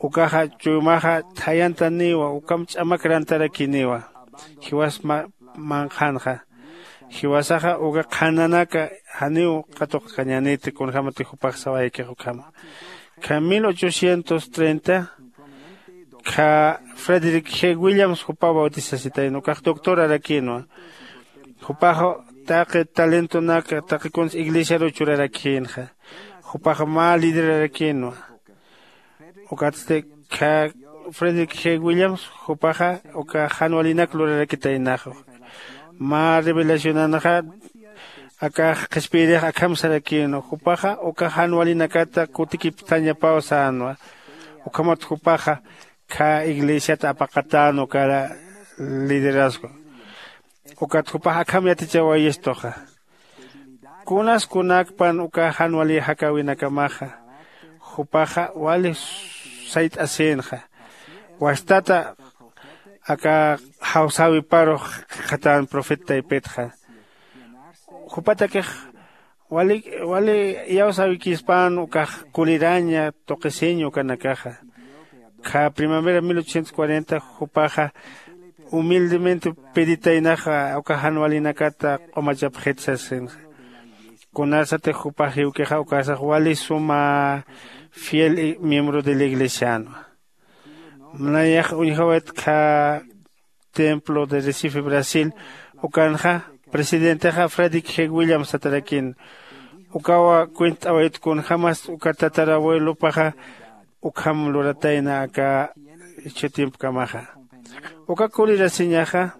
Ukaxa chuymaxa thayantaniwa ukham ch'amak rantarakiniwa. Jiwas manqhanxa jiwasaxa uka qhananaka janiw qatuqkañäniti kunjämati jupax sawaykix ukhama. Kha mil ochocientos treinta kha frederick g williams jupaw bautisasitayna ukax doctorarakïnwa. Jupax taqi talentonaka taqi kuns iglesiaruw churarakïnxa. Jupax mä liderarakinwa. Ukatsti kha frederick g williams jupaxa uka jan walinak lurarakitaynaxa. Mä revelacionanxa akax qhispiyirix akham sarakïnwa jupaxa uka jan walinakata kutikipthañapaw sänwa. Ukhamat jupaxa kha iglesiat apaqatän uka liderazgo. Ukat jupax akham yatichawayistuxa. Kunas kunakpan uka jan wali jakäwinakamaxa jupaxa wali sayt'asïnxa. Wastata aka jawsäwiparux qhatan profeta taypitxa. Jupatakix wali wali iyawsäwikispän ukax kuliraña tuqisiñ ukanakaxa. Kha primavera mil ochocientos cuarenta jupaxa humildemente peditaynaxa uka jan walinakata q'umachapxit sasinxa. Kunarsatix jupax jiwkixa ukarsax wali suma fiel miembro de la iglesianwa. Nayax uñjawaytkha templo de recife brasil ukanxa presidentexa frederick g williams satarakin. Ukawa cuent'awayt kunjämas uka tatarabuelopaxa ukham luratayna aka jichhutimpkamaxa. Uka kulirasiñaxa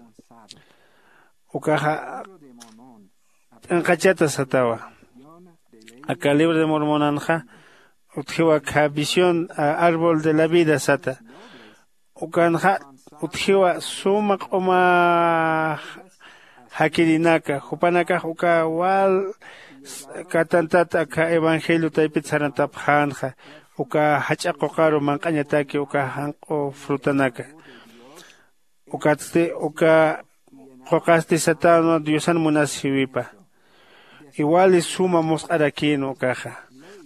ukaxa p'inqachata satawa. Aka libro de mormonanxa utjiwa kha visión árbol de la vida sata. Ukanxa utjiwa suma q'uma jakirinaka jupanakax uka wal katantat aka evangelio taypit sarantapxänxa uka jach'a quqaru manq'añataki uka janq'u frutanaka. Ukatsti uka quqasti satänwa diosan munasjiwipa. Iwali suma musq'arakïnwa ukaxa.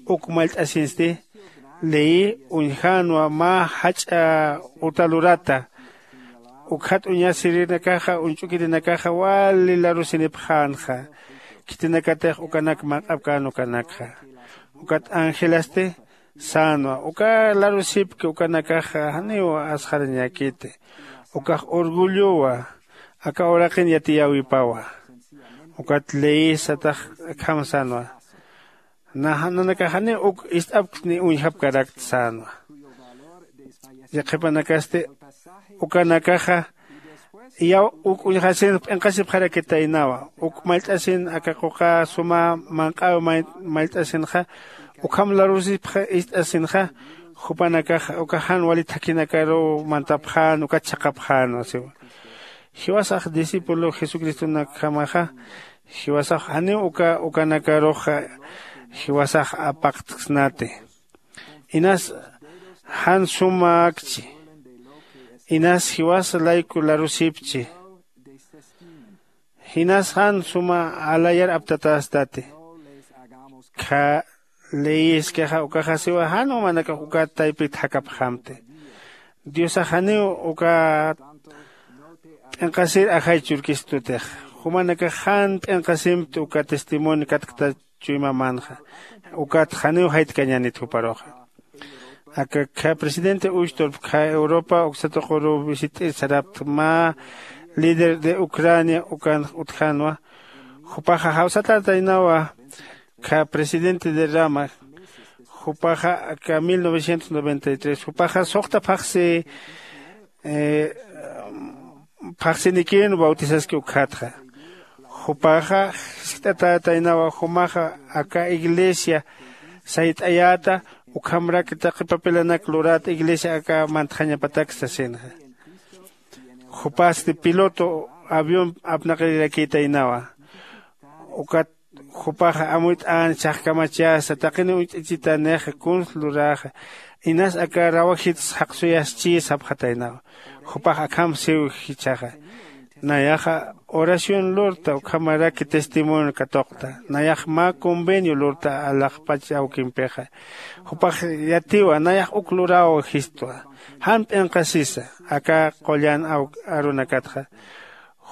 Uk mallt'asinsti leyi uñjänwa mä jach'a uta lurata. Ukjat uñasirinakaxa uñch'ukirinakaxa wali larusinipxänxa. Khitinakatix ukanak manq'apkän ukanakxa. Ukat angelasti sänwa uka larusipki ukanakaxa janiw asxarañäkiti. Ukax orgullowa aka uraqin yatiyäwipawa. Ukat leyisatax akham sänwa. Nanakax janiw uk ist'apkt ni uñjapkarakt sänwa. Yaqhipanakasti ukanakaxa iyaw uk uñjasin p'inqasipxarakitaynawa. Uk mallt'asin aka quqa suma manq'äw mallt'asinxa ukham larusipxa ist'asinxa jupanakaxa uka jan wali thakhinakaruw mantapxän ukat chhaqhapxänwa siwa. Jiwasax discípulo jesucristonakjamaxa jiwasax janiw uka ukanakaruxa jiwasax apaqtksnati. Inas jan sumäkchi. Inas jiwas layku larusipchi. Jinas jan suma alayar aptatästati. Kha leyiskixa ukaxasiwa jan umanakax ukat taypit jakapxamti. Diosax janiw uka p'inqasir ajay churkistutix. Jumanakax jan p'inqasimpt uka testimonio katkta chuymamanxa. Ukat janiw jaytkañänit juparuxa. Aka kha presidente uysturp kha europa uksatuquru visit'ir sarapta mä líder de ucrania ukan utjanwa. Jupaxa jawsatataynawa kha presidente de rama. Jupaxa aka mil novecientos noventa y tres jupaxa suxta phaxsi phaxsinikin bautisaski ukkhatxa. Jupaxa jiskt'atätaynawa jumaxa aka iglesia sayt'ayäta ukhamrak taqi papilanak luräta iglesia aka mantxañapatak sasinxa. Jupasti piloto avión apnaqirakïtaynawa. Ukat jupaxa amuyt'an chhaqkamachasa taqini uñt'ichitanixa kuns luräxa. Inas aka rawajits jaqsuyaschi sapxataynawa. Jupax akham siw jichhaxa. Nayaxa oración lurta ukhamaraki testimonio katuqta. Nayax mä convenio lurta alaxpach awkimpixa. Jupax yatiwa nayax uk luraw jistwa. Jan p'inqasisa aka qullan arunakatxa.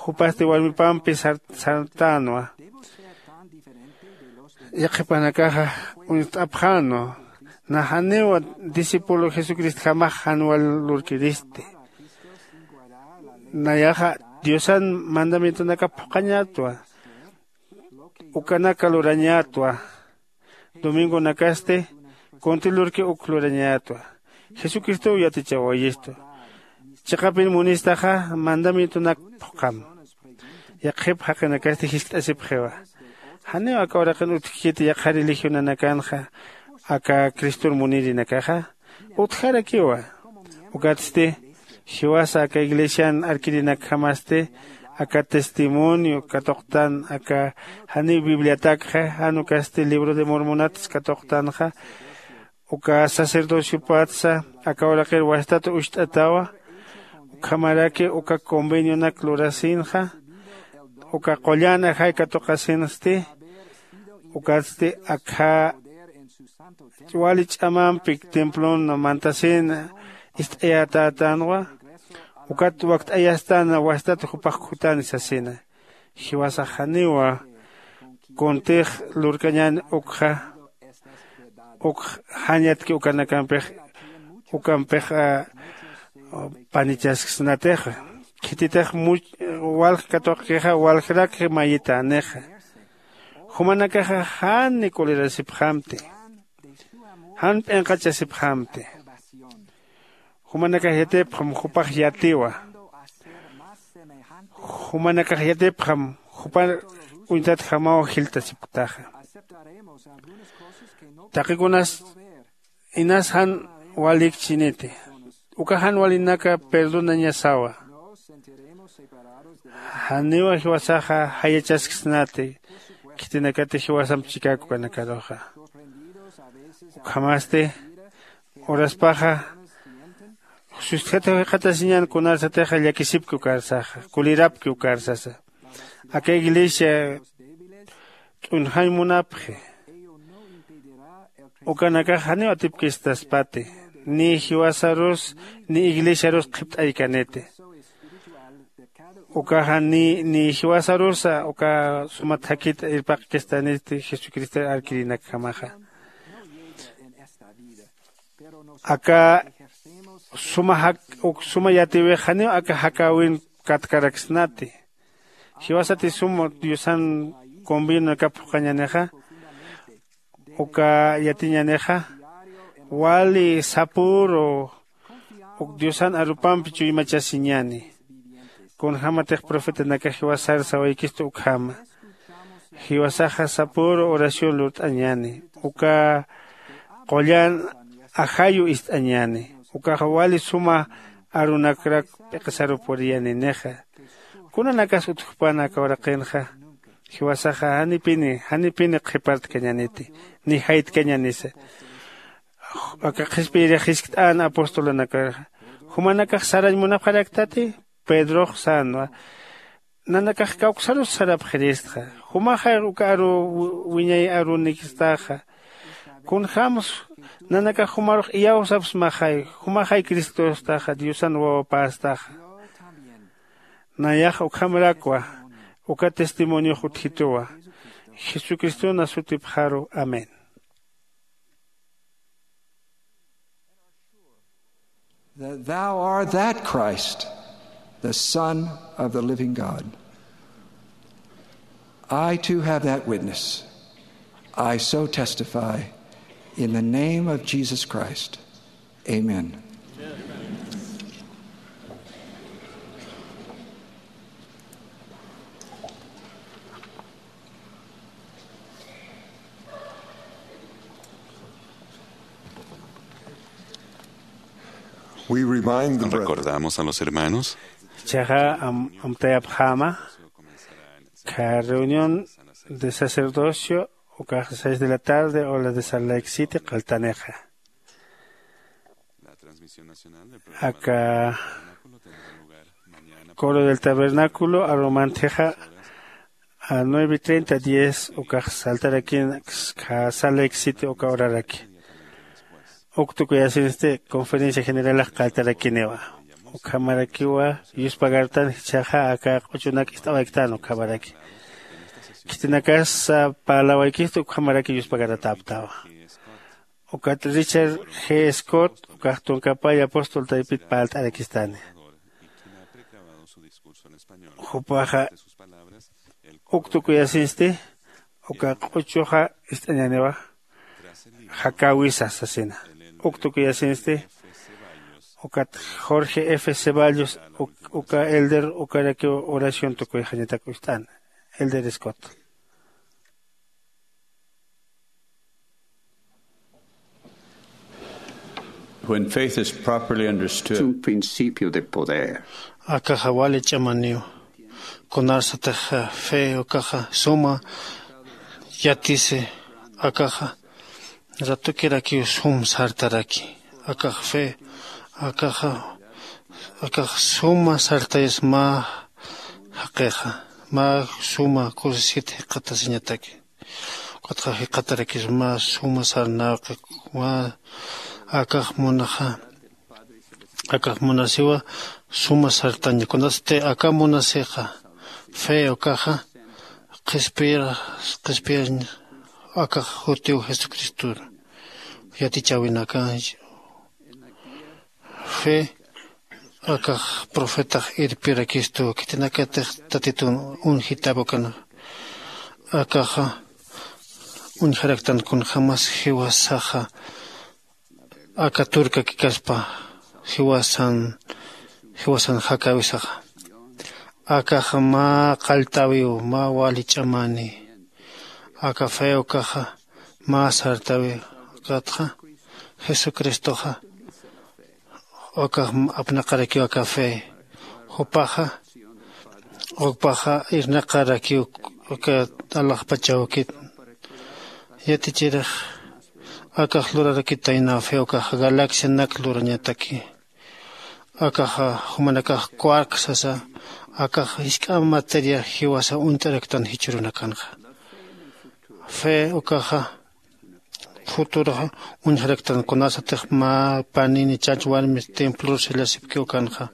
Jupasti warmipampi sartänwa. Yaqhipanakaxa uñst'apxänwa. Naxaniwa discípulo jesucristjamax jan wal lurkiristi. Nayaxa diosan mandamientonakap phuqhañätwa. Ukanaka lurañätwa. Domingonakasti kunti lurki uk lurañätwa. Jesucristow yatichawayistu. Chiqapin munistaxa mandamientonak phuqham. Yaqhip jaqinakasti jiskt'asipxiwa. Janiw aka uraqin utjkiti yaqha religionanakanxa aka cristor munirinakaxa utjarakiwa. Ukatsti jiwasa aka iglesian arkirinakjamasti aka testimonio katuqtan aka janiw bibliatakxa jan ukasti libro de mormonats katuqtanxa. Uka sacerdociopatsa aka uraqir wastat ucht'atawa. Ukhamaraki uka convenionak lurasinxa uka qullan ajay katuqasinsti. Ukatsti akha wali ch'amampi templon mantasin ist'ayatätänwa. Ukat wakt'ayastan wastat jupax khutani sasina. Jiwasax janiwa kuntix lurkañän ukxa uk jan yatki ukanakampix ukampix panichasksnatixa. Khititix much walj katuqkixa waljrakji mayitänixa. Jumanakaxa jan nikulirasipxamti, jan p'inqachasipxamti. Jumanakax yatipxam jupax yatiwa. Jumanakax yatipxam jupa uñtatjamaw jiltasipktaxa. Taqikunas inas jan walikchiniti. Uka jan walinaka perdonañasawa. Janiwa jiwasaxa jayachasksnati khitinakati jiwasamp chikaku kanakaruxa. Ukhamasti uraspaxa sustjata jikxatasiñan kunarsatixa llakisipki ukarsaxa kulirapki ukarsasa. Aka iglesia t'unjañ munapxi. Ukanakax janiw atipkistaspati ni jiwasarus ni iglesiarus qhipt'aykaniti. Ukaxa ni ni jiwasarusa uka suma thakit irpaqkistaniti jesucristor arkirinakjamaxa. Aka suma jak uk suma yatiwix janiw aka jakäwin katkaraksnati. Jiwasati sum diosan convenionakap phuqhañänixa uka yatiñänixa wali sapüru uk diosan arupampi chuymachasiñäni. Kunjämatix profetanakax jiwasar sawaykistu ukhama jiwasaxa sapüru oración lurt'añäni uka qullan ajayu ist'añäni. Ukaxa wali suma arunakrak p'iqisaru puriyaninixa. Kunanakas utjpan aka uraqinxa jiwasaxa janipini janipini qhipartkañaniti ni jaytkañanisa. Aka qhispiyirix jiskt'an apostolanakar jumanakax sarañ munapxaraktati? Pedrox sänwa nanakax kawksarus sarapxiristxa. Jumaxay uka aru wiñay arunikstaxa. Kunjämsa nanakax jumarux iyawsapsmaxay jumaxay cristostaxa diosan wawapästaxa. Nayax ukhamarakwa uka testimoniox utjituwa. Jesucriston sutipxaru amén. That thou art that Christ, the Son of the living God. I too have that witness. I so testify in the name of Jesus Christ. Amen. Recordamos a los hermanos. Chaja amtayapjama. Ka reunión de sacerdocio ukax seis de la tarde o la de Salt Lake City qaltaneja. Aka coro del tabernáculo arumanteja a nueve treinta diez ukax saltarakin. Kasa lexiti uka uraraki uktukuyasinsti conferencia generalax qaltarakiniwa. Ukhamarakiwa yuspagartan jichhaxa aka q'uchunak ist'awayktan ukhamaraki. Khitinakas parlawaykisti ukhamaraki yuspagarataptawa. Ukat richard g scott ukax tunkapay apóstol taypit parlt'arakistani. Jupaxa uk tukuyasinsti uka q'uchuxa ist'añaniwa. Jakäwisa sasina uk tukuyasinsti ukat jorge f ceballos uka elder ukarakiw oración tukuyxañatak ucht'an. Elder scott. When faith is properly understood, un principio de poder. Akaxa wali ch'amaniw. Kunarsatix fe ukaxa suma yatisi akaxa ratukirakiw sum sartaraki. Akax fe akaxa akax suma sartayas mä jaqixa mä suma kusisit jiqatasiñataki. Ukatxa jiqatarakis mä suma sarnawqi mä akax munaxa akax munasiwa suma sartaña kunasti aka munasixa fe ukaxa qhispiyir qhispiyir akax jutiw jesucristor yatichäwinaka. Fe akax profetax irpirakistu khitinakatix tatitun unjitäpukana. Akaxa uñjaraktan kunjämas jiwasaxa aka turkakikaspa jiwasan jiwasan jakäwisaxa. Akaxa mä qalltäwiw mä wali ch'amani. Aka fe ukaxa mä sartäwiw. Ukatxa jesucristoxa ukax apnaqarakiw aka fe. Jupaxa ukpaxa irnaqarakiw uka alaxpachawkit. Yatichirix akax lurarakitaynaw fe ukaxa galaxianak lurañataki. Akaxa jumanakax quark sasa akax jisk'am materia jiwasa uñt'araktan jichhürunakanxa. Fe ukaxa futuraxa uñjaraktan kunasatix mä panini chach warmi templor sellasipkiw ukanxa.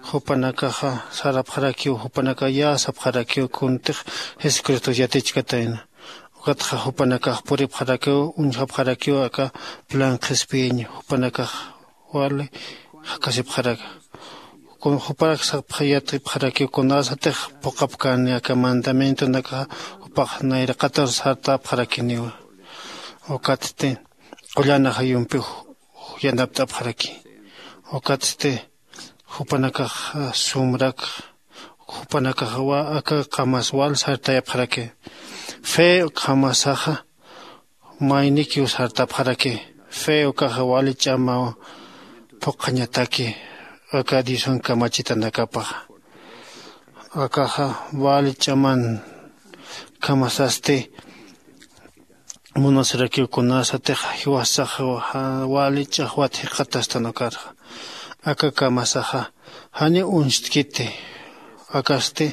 Jupanakaxa sarapxarakiw jupanaka yäsapxarakiw kuntix jesucristox yatichkatayna. Ukatxa jupanakax puripxarakiw uñjapxarakiw aka plan qhispiyiñ jupanakax wali jakasipxaraka. Kun juparak sapxayatipxarakiw kunasatix phuqhapkani aka mandamientonakaxa jupax nayraqatar sartapxarakiniwa. Ukatsti qullan ajayumpiw yanapt'apxaraki. Ukatsti jupanakax sumrak jupanakax aka kamas wal sartayapxaraki. Fe kamasaxa maynikiw sartapxaraki. Fe ukaxa wali ch'amaw phuqhañataki aka diosan kamachitanakapaxa. Akaxa wali ch'aman kamasasti munasirakiw kunasatix jiwasax wali ch'axwat jikxatastan ukarxa. Aka kamasaxa janiw uñstkiti. Akasti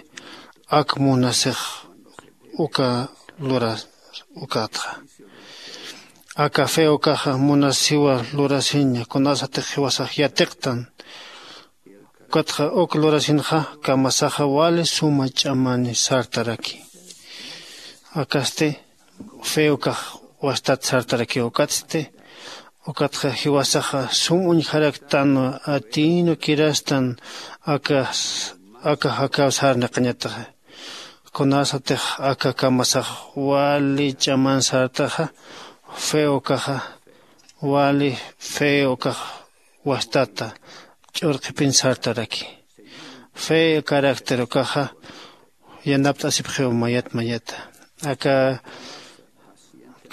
ak munasix uka luras ukatxa. Aka fe ukaxa munasiwa lurasiña kunasatix jiwasax yatiqtan. Ukatxa uk lurasinxa kamasaxa wali suma ch'amani sartaraki. Akasti fe ukax wastat sartaraki ukatsti ukatxa jiwasaxa sum uñjaraktan atiynu kirastan aka aka jakaw sarnaqañataxa. Kunasatix aka kamasax wali ch'aman sartaxa fe ukaxa wali fe ukax wastata ch'urqipin sartaraki. Fe carácter ukaxa yanapt'asipxiw mayat mayata. Aka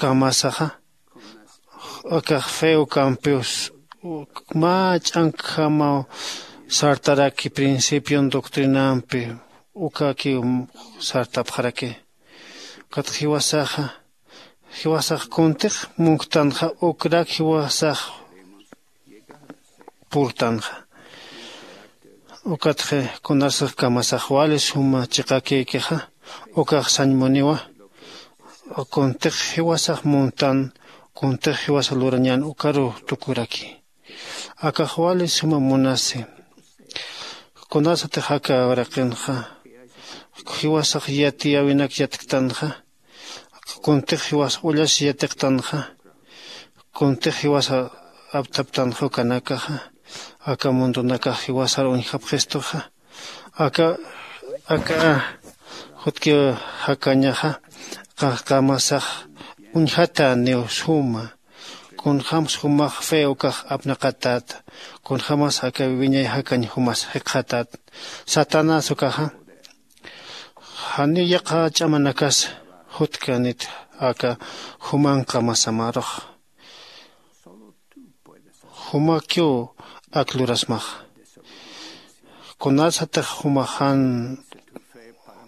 kamasaxa akax fe ukampiw mä ch'ankjamaw sartaraki principion doctrinampi ukakiw sartapxaraki. Ukat jiwasaxa jiwasax kuntix munktanxa ukrak jiwasax purtanxa. Ukatxi kunasix kamasax wali suma chiqakïkixa ukax sañmuniwa. Kuntix jiwasax muntan kuntix jiwasa lurañan ukaruw tukuraki. Akax wali suma munasi. Kunasatix aka uraqinxa jiwasax yatiyäwinak yatktanxa kuntix jiwasa ullasi yatiqtanxa kuntix jiwasa aptaptanxa ukanakaxa aka mundunakax jiwasar uñjapxistuxa. Aka aka jutkiw jakañaxa kamasax uñjatäniw suma. Kunjämsa jumax fe ukax apnaqatäta kunjämas aka wiñay jakañ jumas jikxatäta. Satanás ukaxa janiw yaqha ch'amanakas jutkanit aka juman kamasamarux. Jumakiw ak lurasmax kunasatix jumax jan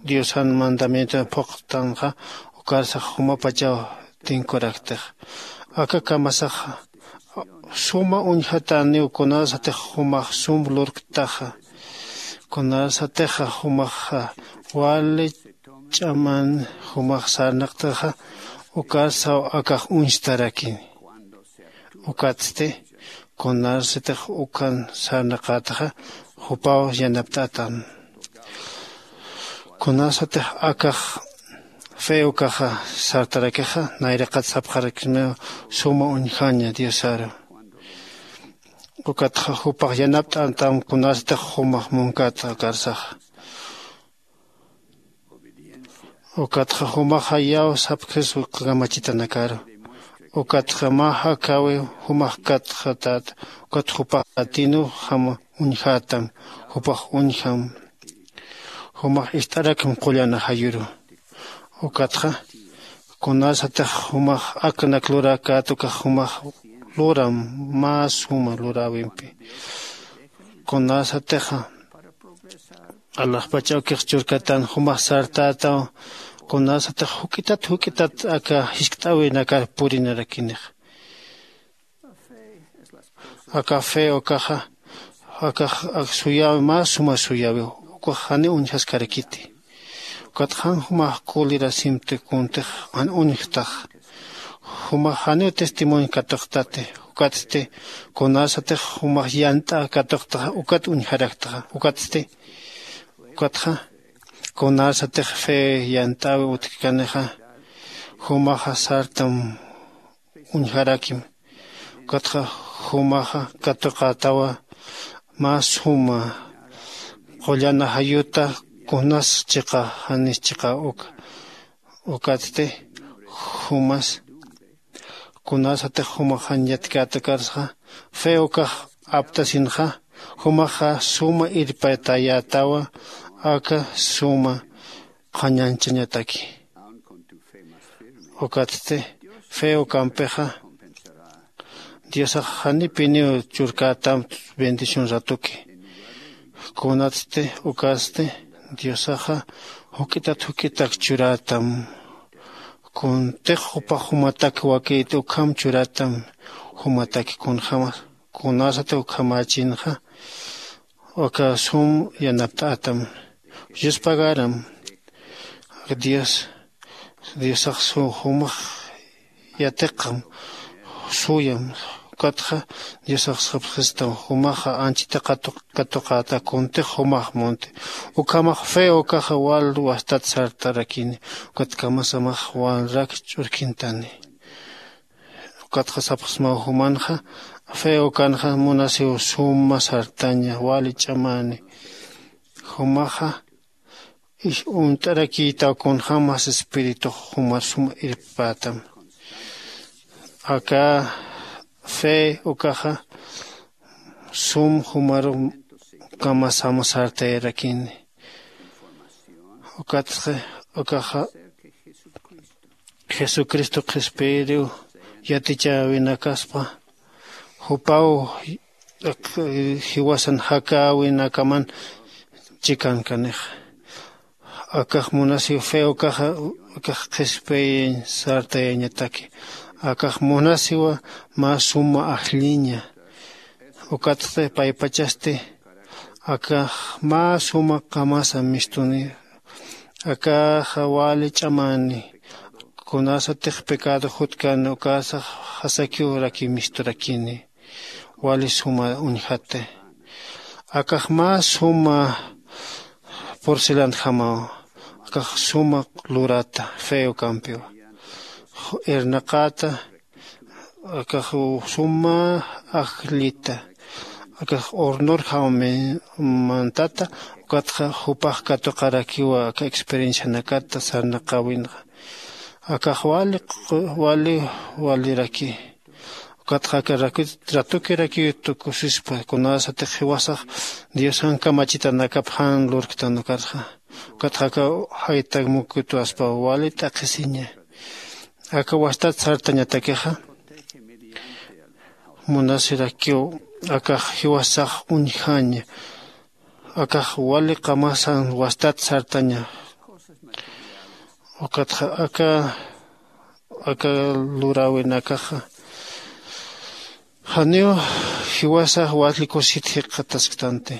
diosan mandamienton phuqtanxa ukarsax jumapachaw tinkuraktixa. Aka kamasaxa suma uñjatäniw kunasatix jumax sum lurktaxa. Kunasatixa jumaxa wali ch'aman jumax sarnaqtaxa ukarsaw akax uñstarakini. Ukatsti kunasatix ukan sarnaqätaxa jupaw yanapt'atan. Kunasatix akax fe ukaxa sartarakixa nayraqat sapxarakismaw suma uñjaña diosaru. Ukatxa jupax yanapt'antam kunasatix jumax munkata ukarsaxa. Ukatxa jumaxa yaw sapxis uka kamachitanakaru. Ukatxa mä jakäwi jumax katxatäta. Ukat jupax atinu jam uñjätam. Jupax uñjam. Jumax ist'arakim qullan ajayuru. Ukatxa kunasatix jumax aknak luräkät ukax jumax luram mä suma luräwimpi. Kunasatixa alaxpach awkix churkatan jumax sartätaw. Kunasatix juk'itat juk'itat aka jiskt'äwinakar purinarakinix. Aka fe ukaxa akax ak suyäwi mä suma suyäwiw. Ukax janiw uñjaskarakiti. Ukatxa jan jumax kulirasimti kuntix jan uñjtax. Jumax janiw testimonio katuqtati. Ukatsti kunasatix jumax yant'a katuqtaxa ukat uñjaraktaxa ukatsti. Ukatxa kunasatix fe yant'äwi utjkanixa jumaxa sartam uñjarakim. Ukatxa jumaxa katuqätawa mä suma qullan ajayuta kunas chiqa janis chiqa uka. Ukatsti jumas kunasatix jumax jan yatkäta ukarsa fe ukax aptasinxa jumaxa suma irpatayätawa aka suma qhañanchañataki. Ukatsti fe ukampixa diosax janipiniw churkätam bendición ratuki. Kunatsti ukasti diosaxa juk'itat juk'itak churätam. Kuntix jupax jumatak wakïti ukham churätam. Jumataki kunjämas kunasati ukhamächinxa aka sum yanapt'ätam. Yuspagaram dios diosax jumax yatiqam suyam. Ukatxa diosax sapxistam jumaxa anchita katuqäta kuntix jumax munti. Ukhamax fe ukaxa wal wastat sartarakini. Ukat kamasamax walrak ch'urkintani. Ukatxa sapxsmaw jumanxa fe ukanxa munasiw suma sartaña wali ch'amani. Jumaxa is uñt'arakïtaw kunjämas espiritux jumar sum irppätam. Aka fe ukaxa sum jumaru kamasam sartayarakini. Ukatxa ukaxa jesucristo qhispiyiriw yatichäwinakaspa jupaw jiwasan jakäwinakaman chikankanix. Akax munasiw fe ukaxa akax qhispiyañ sartayañataki. Akax munasiwa mä suma ajlliña. Ukatsti paypachasti akax mä suma qamasa mistuni. Akaxa wali ch'amani kunasatix pecado jutkan ukasax jasakiw raki misturakini. Wali suma uñjati. Akax mä suma porcelanjamaw. Akax suma lurata fe ukampiwa irnaqäta. Akax suma ajllita akax hornor jawamantata. Ukatxa jupax katuqarakiwa aka experiencianakata sarnaqäwinxa. Akax wali wali waliraki. Ukatxa aka ratukirakiw tukusispa kunasatix jiwasax diosan kamachitanakap jan lurktan ukarxa. Ukatxa aka jaytak mukitwaspa wali t'aqhisiña. Aka wastat sartañatakixa munasirakiw akax jiwasax uñjaña. Akax wali qamasan wastat sartaña. Ukatxa aka aka luräwinakaxa janiw jiwasax wali kusit jikxatasktanti.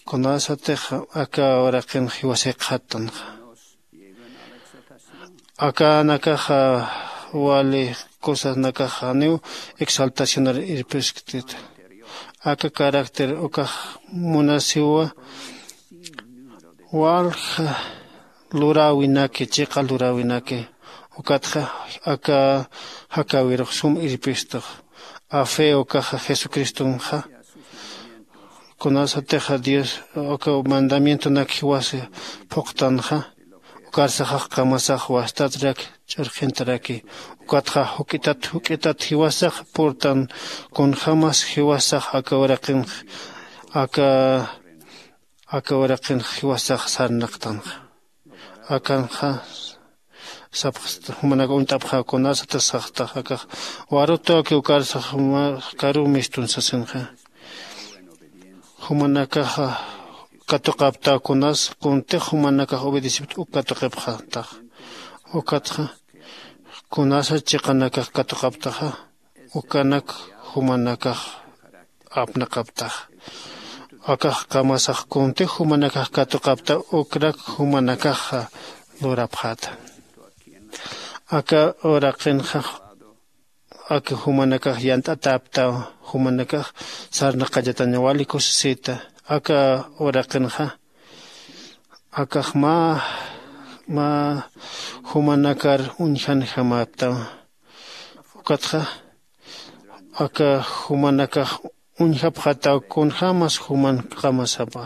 Kunasatix aka uraqin jiwas jikxattanxa. Akanakaxa wali cosasnakaxa janiw exaltacionar irpisktit. Aka carácter ukax munasiwa walja luräwinaki chiqa luräwinaki. Ukatxa aka jakäwirux sum irpistux. A fe ukaxa jesucristonxa kunasatixa dios uka mandamientonak jiwasa phuqtanxa. Ukar saxax qamasax wastatrak ch'urqintaraki. Ukatxa juk'itat juk'itat jiwasax purtan, kunjämas jiwasax aka uraqinx aka aka uraqinx jiwasax sarnaqtanxa. Akanxa sapxsta jumanak uñt'apxä kunasata saxtax akax. Warutawki ukar sax juma karu mistun sasinxa. Jumanakaxa katuqaptaw kunas kuntix jumanakax obedecipta uk katuqipxatax. Ukatxa kunasa chiqanakax katuqaptaxa ukanak jumanakax apnaqaptax. Akax qamasax kuntix jumanakax katuqapta ukrak jumanakaxa lurapxäta. Aka uraqinxa aka jumanakax yant'atäptaw jumanakax sarnaqallataña wali kusisita. Aka uraqinxa akax mä mä jumanakar uñjanjamäptaw. Ukatxa aka jumanakax uñjapxataw kunjämas juman qamasapa,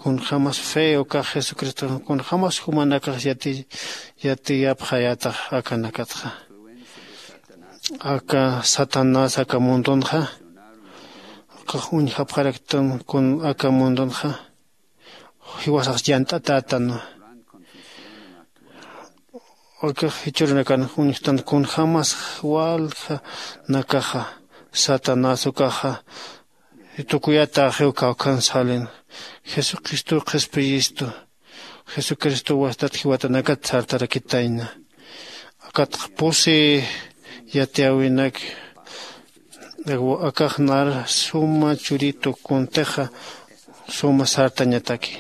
kunjämas fe ukax jesucristo kunjämas jumanakax yati yatiyapxayätax akanakatxa. Aka satanás aka mundunxa ukax uñjapxaraktan kun aka mundunxa jiwasax yant'atätanwa. Ukax jichhürunakan uñjtan kunjämas walja nakaxa satanás ukaxa tukuyataxiw kawkhan salin. Jesucristo qhispiyistu jesucristo wastat jiwatanakat sartarakitayna. Akatxa pusi yatiyäwinak akax nar suma churitu kuntixa suma sartañataki.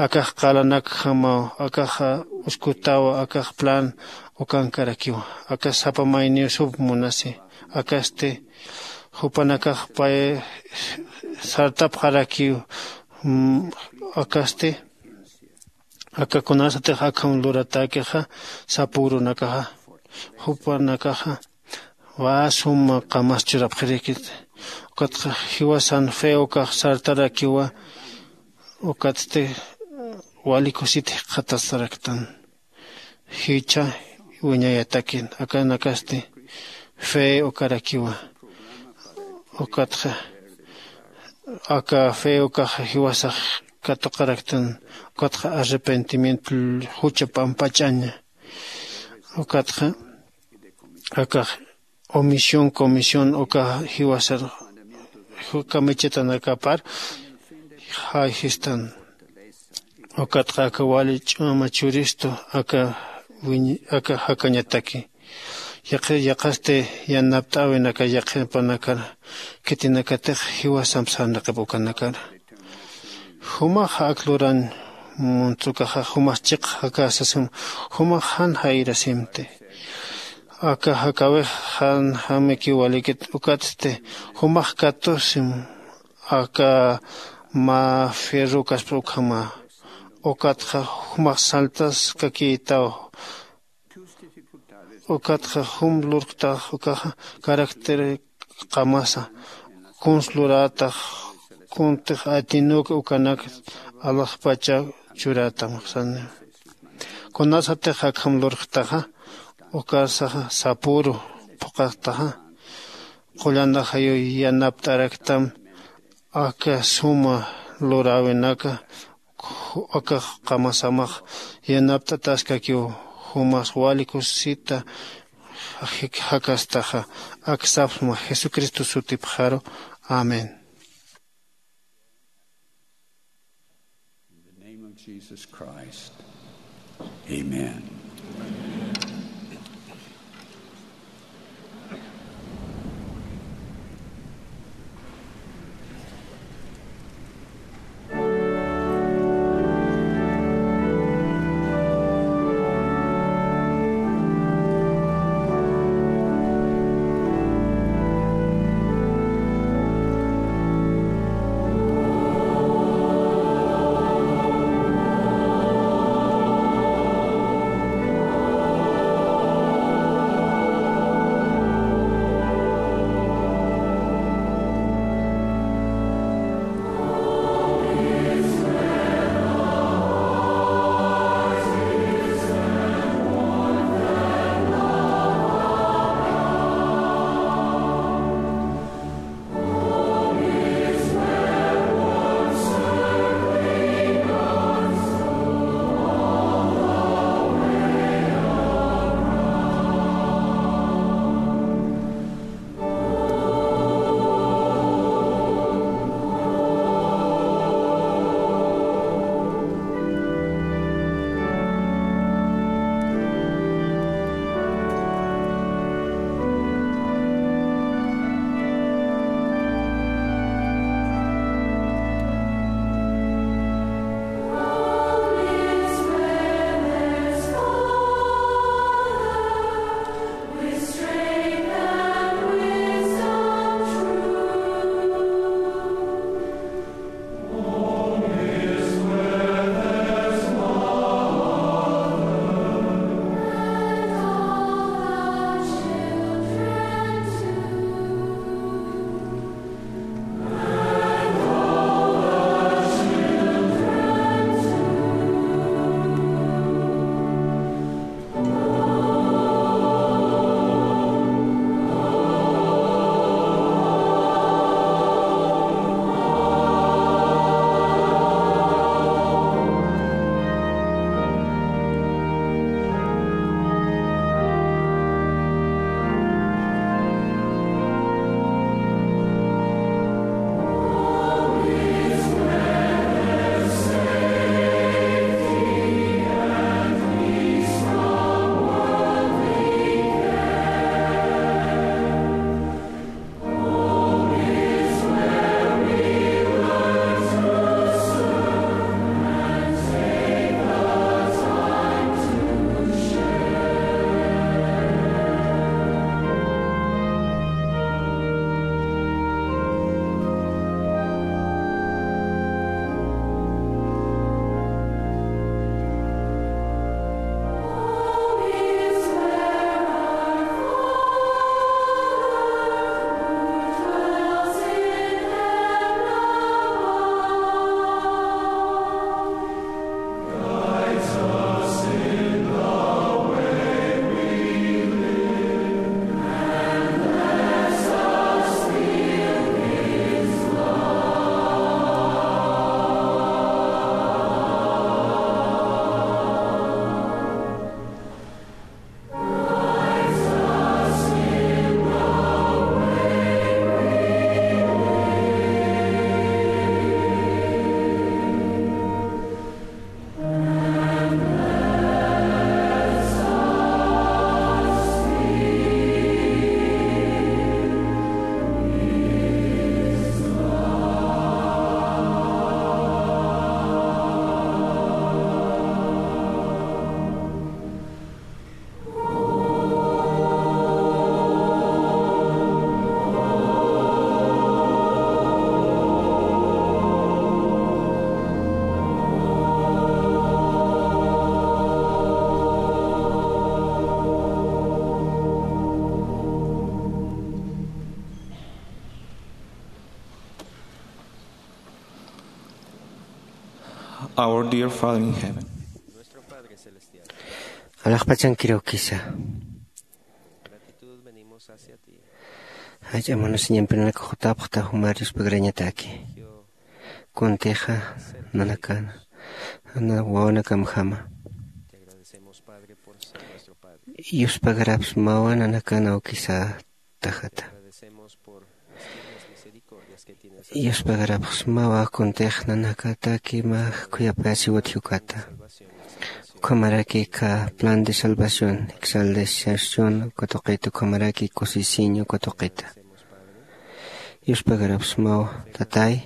Akax qalanakjamaw akaxa uskutawa akax plan ukankarakiwa. Akax sapa mayniw sup munasi akasti jupanakax pay sartapxarakiw. Akasti aka kunasatix akham luratäkixa sapürunakaxa jupanakaxa wä suma qamas churapxirïkit. Ukatxa jiwasan fe ukax sartarakiwa. Ukatsti wali kusit jikxatasaraktan jichha wiñayatakin akanakasti fe ukarakiwa. Ukatxa aka fe ukax jiwasax katuqaraktan. Ukatxa arrepentimiento jucha pampach'aña. Ukatxa akax omisión comisión uka jiwasar kamichatanakapar jayjistan. Ukatxa aka wali ch'ama churistu aka wiñ aka jakañataki. Yaqi yaqasti yanapt'äwinaka yaqhipanakar khitinakatix jiwasamp sarnaqip ukanakar. Jumax ak luran muntsukaxa jumax chiq jakasasim jumax jan jayrasimti. Aka jakawix jan jamiki walikit ukatsti jumax katusim aka mä fierrukaspa ukhama. Ukatxa jumax saltaskakïtaw. Ukatxa jum lurktax ukaxa caracter qamasa kuns lurätax kuntix atinuk ukanak alaxpacha churätam sani. Kunasatix akham lurktaxa ukarsaxa sapüru phuqhaktaxa qullanaxayu yanapt'araktam. Aka suma luräwinaka akax qamasamax yanapt'ataskakiw. Jumas wali kusisita jakastaxa aksapxma jesucristo sutipxaru. Amén. In the name of Jesus Christ. Amen. Our dear Father in heaven. Alaxpachankirukisa. Jach'a munasiñampinanaka jutapxta jumar yuspagarañataki. Kuntixa nanakana, na wawanakamjama. Yuspagarapsmawa nanakana awkisa tajata. Yuspagarapxsmawa kuntix nanakataki mä khuyapayasiwat jukata. Ukhamaraki kha plan de salvación, exaltación uka tuqita, ukhamaraki kusisiñ uka tuqita. Yuspagarapxsmawa, Tatay,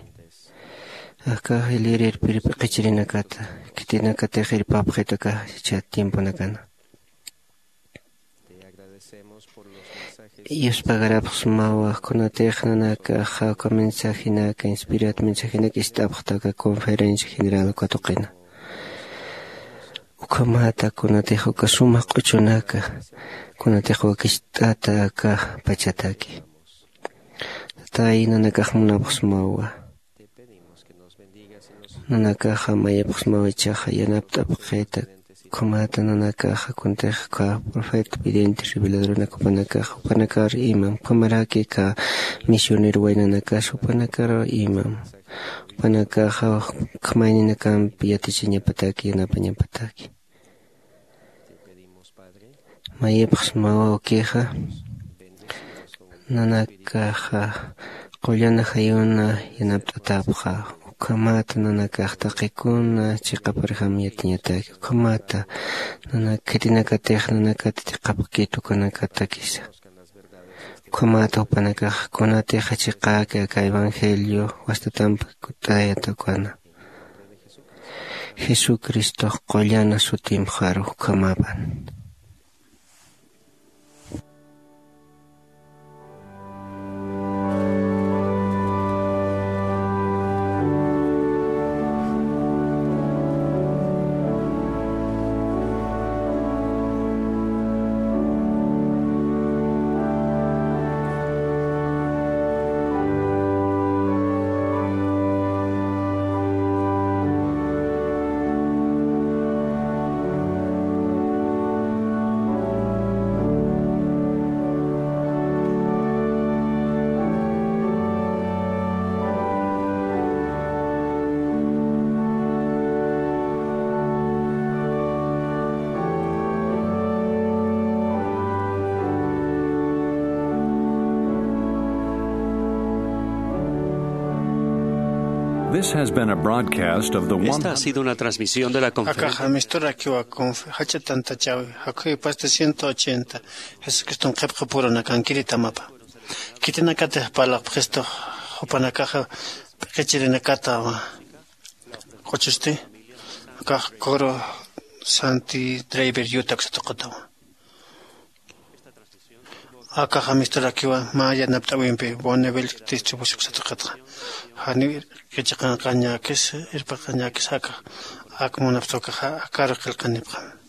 akax ilirïr p'irp'iqichirinakata, khitinakatix irpapxit aka jichhat tiemponakana. Yuspagarapxsmawa kunatix nanakaxa uka mensajenaka, inspirat mensajenaka ist'apxta aka conferencia general uka tuqina. Ukhamata kunatix uka suma q'uchunaka, kunatix wakicht'ata aka pachataki. Tatay, nanakax munapxsmawa. Nanakaxa mayapxsmaw ichaxa yanapt'apxita, ukhamata nanakaxa kuntix kha profeta, vidente, reveladoranaka jupanakaxa, jupanakar imam, ukhamaraki kha misionero waynanakas jupanakar imam. Jupanakaxa khamayninakampi yatichañapataki, yanapañapataki. Mayipxsmawa ukixa, nanakaxa qullana jayuna yanapt'atapxa, ukhamata nanakax taqikuna chiqaparjam yatiñataki, ukhamata nanak khitinakatix nanakati chiqapkit ukanakatakisa. Ukhamata jupanakax kunatixa chiqäki aka evangelio wastatampi kut'ayata ukana. Jesucristox qullana sutimxaru ukhamapan. This has been a broadcast of the Esta ha sido una transmisión de la conferencia. Akaxa amisturarakiwa conf-, jach'a tantachawi, jakhuy pasta ciento ochenta, Jesucriston qhipqapurunakankiri tamapa. Khitinakatix parlapxistu, jupanakaxa p'iqichirinakatawa. Quchusti, akax coro Santi Driver Utah uksatuqatawa. Akax amisturarakiwa mä yanapt'äwimpi Bonneville distribución uksatuqatxa. Janiw qhichaqanqañäkis, irpaqañäkis akax, ak munapxta akaxa, akaru qillqanipxam.